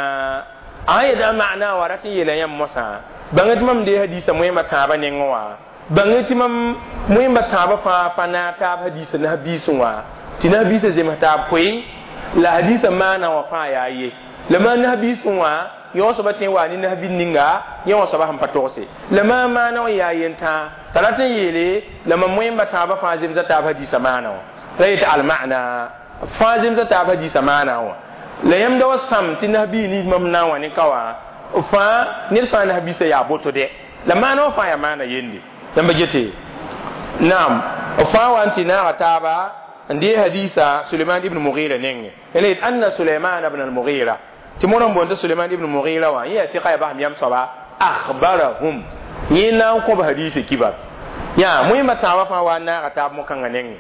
Speaker 1: a sã yet a ma'na wã rat n yeela yãmb mosã bãng tɩ mam deeg hadiisã moẽmba tãabã nengẽ wã, bãng tɩ mam moẽmba tãabã fãa pa naag taab hadiisã nas-biisẽ wã, tɩ nas-biisã zems taab koe la hadiisã maana wã fãa yaa ye. La maa nas-biisẽ wã yõ soaba tõe n waa ne nas-bil ninga yẽ wã soaba sẽn pa togse la maa maana wã yaa yentãa t'a rat n yeele la mam moẽmba tãabã fãa zemsa taab hadiisã maana wã. La yetɩ alma'na fãa zemsa taab hadiisã maana wã. La yãmb da wa sãm tɩ nas-biig nins mam na n wã ne ka wã fãa ned fãa nas-biisã yaa boto dɛ, la maana wã fãa yaa maana yende. Yãmba gete naam fãa wa n tɩ naaga taaba n dee hadiisa Suleiman ibn Mughira nengẽ. La yet anna Suleiman ibn al-Mughira tɩ mõr n boond tɩ Suleiman ibn Mughira wã yẽ yaa sɩka yaa basem yam soaba akhbarahum yẽ na n kõb hadiisã kibar yaa moẽmba tãabã fãa wa n naaga taab mo-kãngã nengẽ.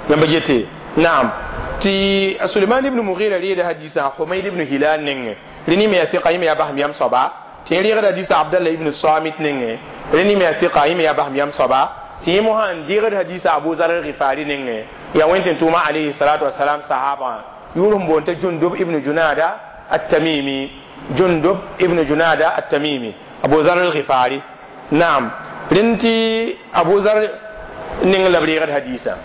Speaker 1: Yãmba gete naam tɩ Suleiman ibn Mughira reeda hadiisã Humayd ibn Hilal nengẽ, rẽnd me yaa sɩka yẽ me yaa basem yam soaba. Tɩ yẽ reegda hadiisã Abdallah ibn Samit nengẽ, rẽnd me yaa sɩka yẽ me yaa basem yam soaba. Tɩ yẽ mosã n deegd hadiisã Abu Zar al-Ghifari nengẽ, yaa wẽn tʋʋma alayhi salatu wasalam sahaba yʋʋr sẽn boond tɩ Jundub ibn Junada at-Tamimi, Jundub ibn Junada at-Tamimi, Abu Zar al-Ghifari. Naam rẽnd tɩ Abu Zar neng la b reegd hadiisã.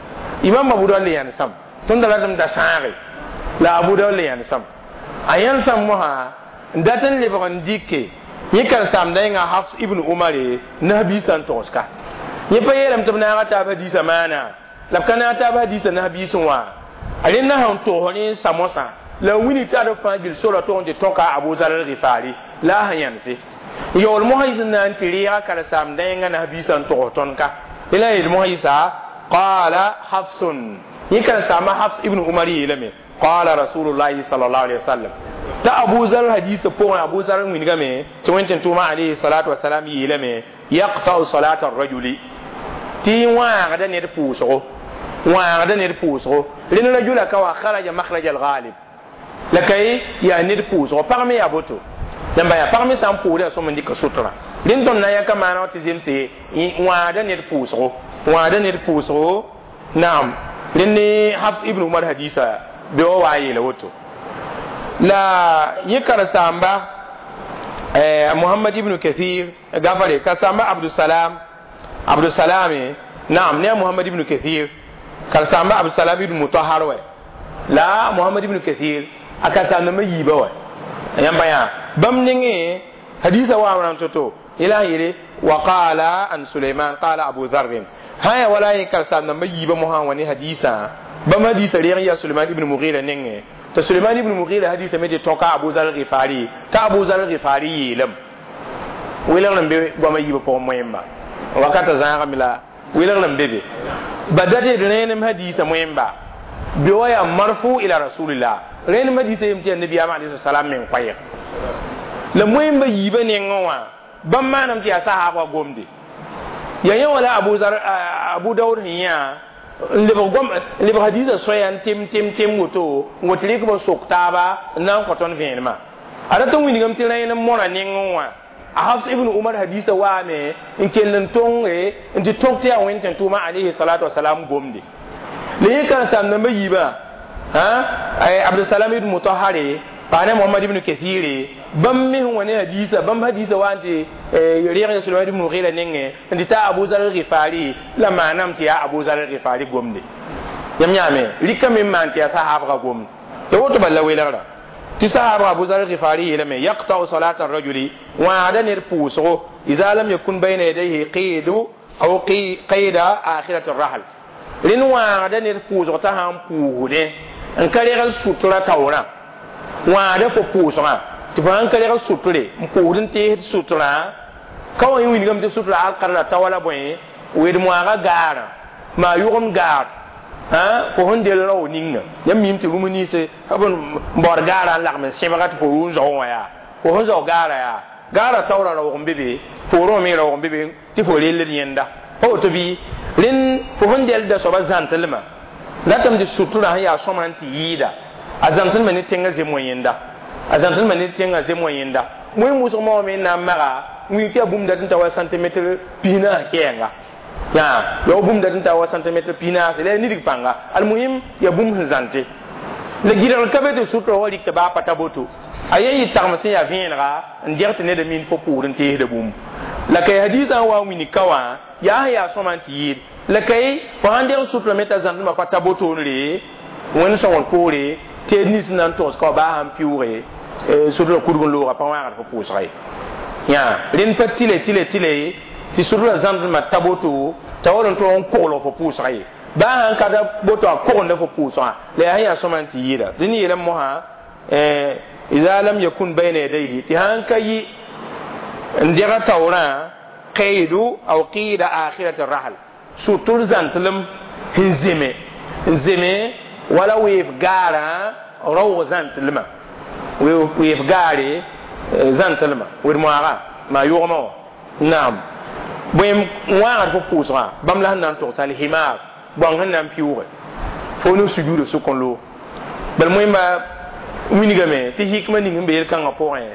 Speaker 1: Imam Abu Dawud le yãnesam tõnd da ratame da sãage la Abu Dawud le yãnesam a yãnesam mosã n dat n lebg n dɩke yẽ karen-saamda yẽnga Hafs ibn Umare nas-biisã n togs-ka. Yẽ pa yeelame tɩ b naaga taab hadiisã maana la b ka naag taab hadiisã nas-biisẽ wã. A rẽnd na sẽn togs ne n sa mosã la n wilg tɩ ad fãa gil sora tʋg n tɩ tõka Abu Zar al-Ghifari la a sẽn yãnse. Yaool mosã yis n na n tɩ reega karen-saamda yẽnga nas-biisã n togs tõnd ka. La yeel mosã yɩsa qala Hafsun, yẽ karen-saamba Hafs ibn Umar yeelame qala Rasulullahi sallallahu alaihi wasallam t'a Abu Zar hadiisã pʋgẽ Abu Zar n wilgame tɩ wẽn-tẽn-tʋʋma alayhi salatu wasalam yeelame yaqta'u salata ar-rajuli tɩ wãagda ned pʋʋsgo, wãagda ned pʋʋsgo. Rẽnd rajula ka wa kharaja makhraj al-ghalib la kay yaa ned pʋʋsgo pag me yaa boto yãmba yaa pag me sã n pʋʋsda yaa sõm n dɩka sutra. Rẽnd tõnd na n yãka maana wã tɩ zemse wãagda ned pʋʋsgo, wãagda ned pʋʋsgo. Naam rẽnd ne Hafs ibn Umar hadiisa be wa wa n yeela woto. La yẽ karen-saamba Muhammad ibn Kathir gafare karen-saamba Abdusalam, Abdusalam naam ne a Muhammad ibn Kathir karen-saamba Abdusalam ibn Mutahar wɛ la Muhammad ibn Kathir a karen-saam-dãmbã yiibã wɛ. Yãmba yaa bãmb nengẽ hadiisã waam rãmb to-to yẽla sẽn yeele wa qala an Suleiman qala Abu Dharr sã yaa wala yẽ karen-saam-dãmbã yiibã mosã n wa ne hadiisã bãmb hadiisã reeg n yaa Suleiman ibn Mughira nengẽ tɩ Suleiman ibn Mughira hadiisã me tɩ tõka Abu Zar al-Ghifari t'a Abu Zar al-Ghifari yeelame. Welgr n be goamã yiibã pʋgẽ moẽmba wakata zãagame la welgr n be be ba dat d rẽenem hadiisã moẽmba be wa yaa marfu ila rasulillah rẽenem hadiisã yem tɩ yaa nabiyaam alayhi salam meng koɛɛg la moẽmba yiibã nengẽ wã bãmb maanam tɩ yaa sahaabã gomde yaa yẽ wã la Abu Zar Abu Dawud sẽn yã n lebg gom n lebg hadiisã soaya n tem tem tem woto n wa tɩ rɩk b sok taaba n na n kõ tõnd vẽenemã. A rat n wilgame tɩ rẽenem mõra nengẽ wã a Hafs ibn Umar hadiisã waame n kell n tõnge n tɩ tõk tɩ yaa wẽn-tẽn-tʋʋma alayhi salatu wasalam gomde. La yẽ karen-saam-dãmbã yiibã Abdusalam ibn Mutahare pa ne Muhammad ibn Kathire bãmb me sẽn wa ne hadiisã bãmb hadiisã wa n tɩ reeg ya Suleiman ibn Mughira nengẽ n tɩ ta Abu Zar al-Ghifari la maanam tɩ yaa Abu Zar al-Ghifari gomde. Yãmb yãame rɩkame n maan tɩ yaa sahaabga gomde ya woto bal la welgrã tɩ sahaabga Abu Zar al-Ghifari yeelame yaqta'u salata ar-rajuli wãagda ned pʋʋsgo idha lam yakun bayna yadayhi qiidu aw qiyda akhirati ar-rahl rẽnd wãagda ned pʋʋsg t'a sã n pʋʋsdẽ n ka regl sutra taoorã wãagda fo pʋʋsgã tɩ fo sãn ka regl sutre n pʋʋsd n teesd sutrã ka wa yẽ wilgame tɩ sutra alkar la tao la bõe wed moaaga gaarã maa yʋgemd gaar fo sẽn del rao ninga yãmb miime tɩ rũm nins b n baood gaarã n lagm n sẽbga tɩ fo rʋ n zao wã yaa fo sẽn zao gaarã yaa gaarã taoorã raoog n be be poorẽ me raoog n be be tɩ fo relled yẽnda pa woto bɩ rẽnd fo sẽn delda soaba zãntlmã Datame tɩ sutura sẽn yaa sõma n tɩ yɩɩda a zãmsdmã ne tẽngã zem wã yẽnda a zãmsdmã ne tẽngã zem wã yẽnda wẽn wʋsg moogame n na n maga wĩig tɩ yaa bũmb dat n ta wa centimetre pis-naas kɛɛnga yaa ya bũmb dat n ta wa centimetre pis-naas la yaa nidg pãnga almuhim yaa bũmb sẽn zãnte la gɩdgr ka be tɩ sutura wa rɩk tɩ baa pa ta boto a yen yɩ tagem sẽn yaa vẽenega n deg tɩ ned min fo pʋʋr n teesda bũmb la kay hadiisã n wa n wilg ka wã yaa sẽn yaa sõma n tɩ yɩɩd la kay fo sãn deg sutura me t'a zãmsdmã pa ta botoonre wẽnd sõngr poore tɩ nins na n togs ka wa baa sãn pɩʋʋge sutura kudg n looga pa wãagd fo pʋʋsga ye yã rẽnd pa tɩle tɩle tɩle tɩ sutura zãmsdmã ta boto t'a wall n tog n koglg fo pʋʋsga ye baa sãn ka ta boto a kogenda fo pʋʋsgã la yaa sẽn yaa sõma n tɩ yɩɩda dẽnd yeelame mosã إذا لم يكن بين يديه تهان كي ندير تورا قيد أو قيد آخرة الرحل سوتور زانتلم هنزمي هنزمي ولا ويف غارا رو زانتلم ويف غاري زانتلم ورموغا ما يغمو نعم بويم واغر فو بوسرا بام لا نان تو سال حمار بون نان بيوغ فو نو سجود سكون لو بل مهم winigame tɩ hikma ning n be yel-kãngã pʋgẽ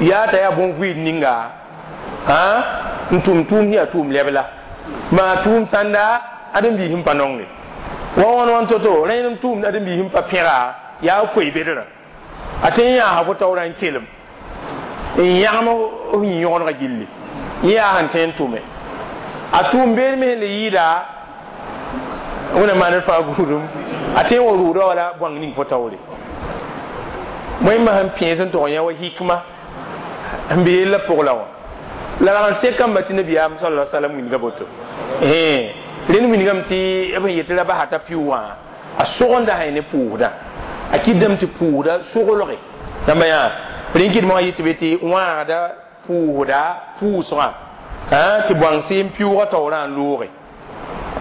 Speaker 1: yaa t'a yaa bõn-vɩɩd ninga n tʋm tʋʋm yaa tʋʋm lɛb la maa tʋʋm sãnda ãdem-biis n pa nonge wa wãn wãn to-to rẽnd n tʋʋmd ãdem-biis n pa pẽga yaa koe-bedrã a tõe n yaa fo taoorã n kelem n yãgem f yĩ-yõgenegã gilli yẽ yaa sẽn tõe n tʋme a tʋʋm beed me sẽn le yɩɩda wẽna maan fãa gũudum a tõe n wa rʋʋda wala bõang ning fo taoore wẽnnaam sẽn pẽes n tog yã wa hikma n be yella pʋg la wã la rag n sek kamba tɩ nabiyaam sala salam wilga boto rẽnd wilgame tɩ b sẽn yetɩ ra basa t'a pɩʋ wã a sogenda sã ne pʋʋsda a kɩtdame tɩ pʋʋsda soglge rãmba yaa rẽn kɩdmã wã yetɩ be tɩ wãagda pʋʋsda pʋʋsgã tɩ bõang n pɩʋʋgã taoorã n looge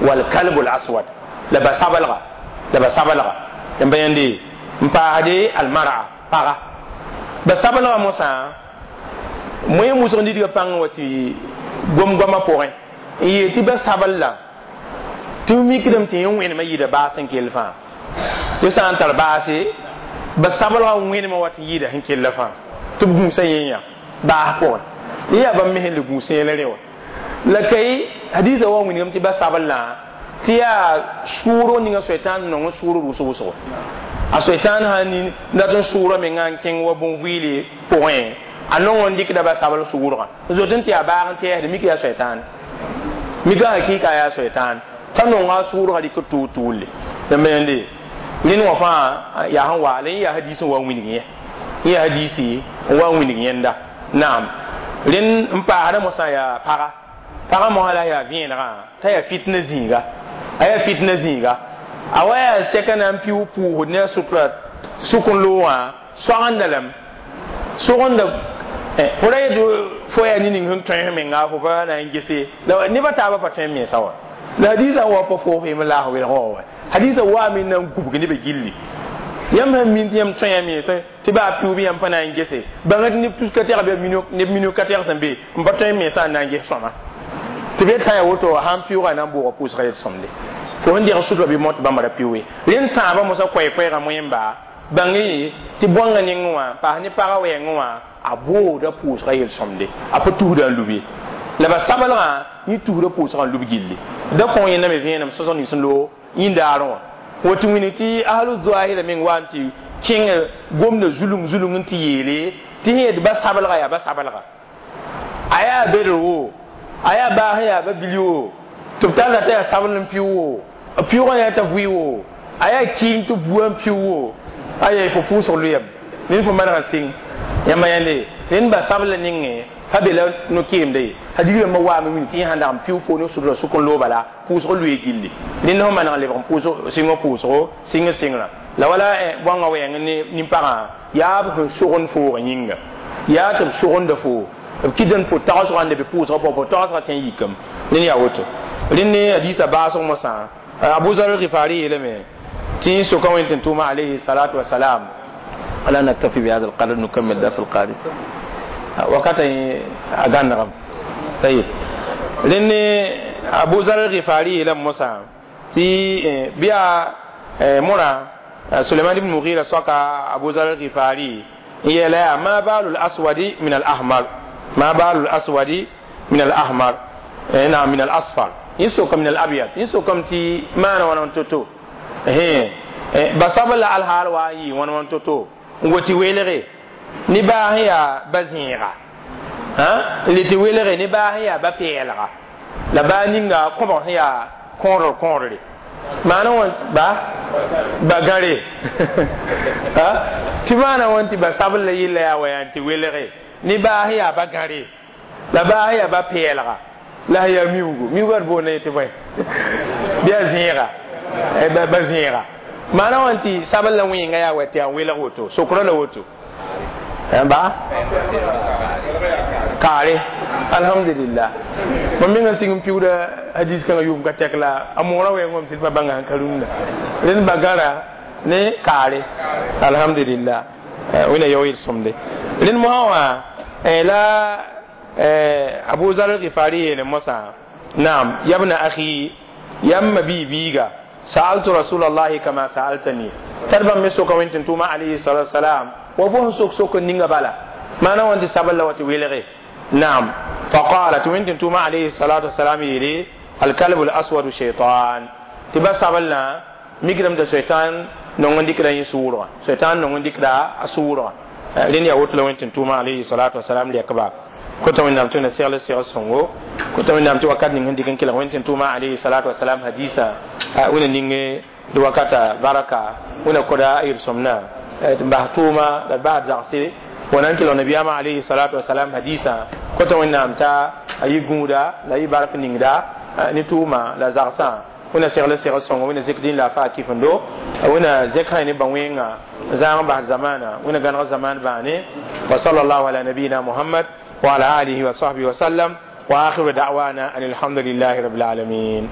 Speaker 1: wal kalbul aswad la ba-sablga la ba-sablga rãmba yãnde n paasde almara paga ba sablgã mosã moẽ wʋsg nidgã pãng wa tɩ gom-goamã pʋgẽ n yeel tɩ ba sabl la tɩ b mikdame tɩ yẽ wẽnemã yɩɩda baas sẽn kell fãa tɩ sã n tar baase ba sablgã wẽnemã wa tɩ yɩɩda sẽn kella fãa tɩ b gũusã yẽ yã baas pʋgẽ yẽ yaa bãmb me sẽn le gũus yẽla rẽ wã la kay hadiisã wa wilgame tɩ ba sablã tɩ yaa sʋʋrg ninga soɛtãan nong sʋʋr wʋsg wʋsgo a soɛtãan sã nin dat n sʋʋra menga n kẽng wa bõn-vɩɩle pʋgẽ a nong n dɩkda ba sabl sʋʋrgã zot n tɩ yaa baag n tɛɛsd mik yaa soɛtãan mika hakɩɩka yaa soɛtãan t'a nonga a sʋʋrgã rɩk tʋʋl tʋʋlle yãmba yãnde rẽnd wã fãa yaa sẽn wa la yẽ yaa hadiis n wa n wilg yẽ yẽ yaa hadiisi n wa n wilg yẽnda naam rẽnd n paasda mosã yaa paga paga mosã la yaa vẽenegã t'a yaa fitna zĩiga a yaa fitna zĩiga a wa yaa sɛka na n pɩʋ pʋʋsd ne a sutura sʋk n loogã soagenda lame sogenda fo ra yet fo yaa ne ning sẽn tõe menga fo pa na n gese la nebã taabã pa tõe n mensa wã la hadiisã n wa pa foos yem laas welgã wã wa hadiisã waame na n gubg nebã gilli yãmb sẽn min tɩ yãmb tõe mense tɩ baa pɩʋʋb yãmb pa na n gese bãng tɩ neb tus ka tɛg bɩ neb minug ka tɛg sẽn be n pa tõe n mensã n na n ges sõma tɩ b yetã yaa woto sãn pɩʋʋga na n booga pʋʋsga yel sõmde fo sẽn deg sutura bɩ mot bãmba ra pɩʋʋe rẽnd tãabã mosã koɛɛ-koɛɛgã moẽmba bãng tɩ bõangã nengẽ wã paas ne pagã wɛɛngẽ wã a booda pʋʋsga yel-sõmde a pa tusda n lub ye la ba sablgã yẽ tusda pʋʋsgã n lub gilli da kõ yẽnda me vẽenem sõsg nins n loog yĩndaarẽ wã woto wĩnig tɩ ahlu zoahira meng wa n tɩ kẽng gomda zulung zulung n tɩ yeele tɩ sẽn yet ba sablga yaa ba sablga a yaa bedr wo a yaa baas n yaa ba bili wo tɩ b talla t'a yaa sabl n pɩʋ wo pɩʋgã yaa t'a vʋɩ wo a yaa kɩɩng tɩ bua n pɩʋ wo aya fo pʋʋsg loyame ned fo maneg n sɩng yãmba yãnde rẽnd ba sabla nengẽ pa be la no-keemda ye hadiis rãmbã waame wĩng tɩ yẽ sãn dag n pɩʋ fo ne sʋdra sʋk n loog bala pʋʋsg loe gilli rẽnd sẽn maneg n lebg n pʋʋsg sɩngã pʋʋsgo sɩng sɩngrã la wala bõangã wɛɛng ne nin-pagã yaa b sẽn sogend foogã yĩnga yaa tɩ b sogenda foo b kɩtd fo tagsgã n leb pʋʋsgã pʋgẽ fo tagsgã tõe n yikame rẽnd yaa woto rẽnd ne hadiisã baasg mosã abu zar al-ghifari yeelame tɩ soka wẽn tɩ tʋʋma alayhi salatu wasalam ala naktafi bihada alqadr nukammil dars alqadim wakata a gãnegame tayib rẽnd ne abu zar al-ghifari yeelame mosã tɩ bɩ yaa mora Suleiman ibn Mughira soka Abu Zar al-Ghifari yela ma balul aswadi min al-ahmar ma balul aswadi min al-ahmar na min al-asfar yinso kam min al-abyad yinso kam ti mana wana toto eh basabla al-hal wa yi wana wana toto ngoti welere ni ba ya bazinga ha liti welere ni ba ya ba pelga la ba ninga ko ya konro konre mana won ba bagare ha ti mana won ti basabla yilla ya wayan ti welere ni ba ya bagare la ba ya ba pelga la ya miugo miugo bo ne ti bay biya zinga e ba ba zinga mana won ti sabla winga ya wati ya wela woto sokro la woto ba kare alhamdulillah mam menga singum piuda hadis kan yum ka tekla amora we ngom silba banga karunna len bagara ne kare alhamdulillah wina yoyil somde len muhawa la Abu Zar al-Ghifari ne masa na'am yabna akhi yamma bi biga sa'altu rasulullahi kama sa'altani tarban miso ka wintin tuma alayhi salatu wassalam wa fo sok sok ninga bala mana wanti saballa wati welere نعم فقالت وانت توما عليه الصلاة والسلام يري الكلب الأسود شيطان تبا سابلنا ميكرم دا شيطان نونغ ديكرا يسورة شيطان نونغ ديكرا أسورة لين يوت لو انت توما عليه الصلاة والسلام ليكبا كنت من نامتو نسيال سيال سونغو كنت من نامتو وكاد نينغ ديكن كلا وانت توما عليه الصلاة والسلام حديثا وين نينغ دوكاتا بركة وين كودا يرسمنا بحتوما بعد زعسي ونانكي لو نبي عليه الصلاة والسلام حديثا كنت من نامتا أي جودا لا يبارك نينغدا نتوما لا زعسا وين سيال سيال سونغو وين زكدين لا فا كيفندو وين زكاي نبوينغا زمان بعد زمانا وين غنغ زمان باني وصلى الله على نبينا محمد وعلى آله وصحبه وسلم وآخر دعوانا أن الحمد لله رب العالمين.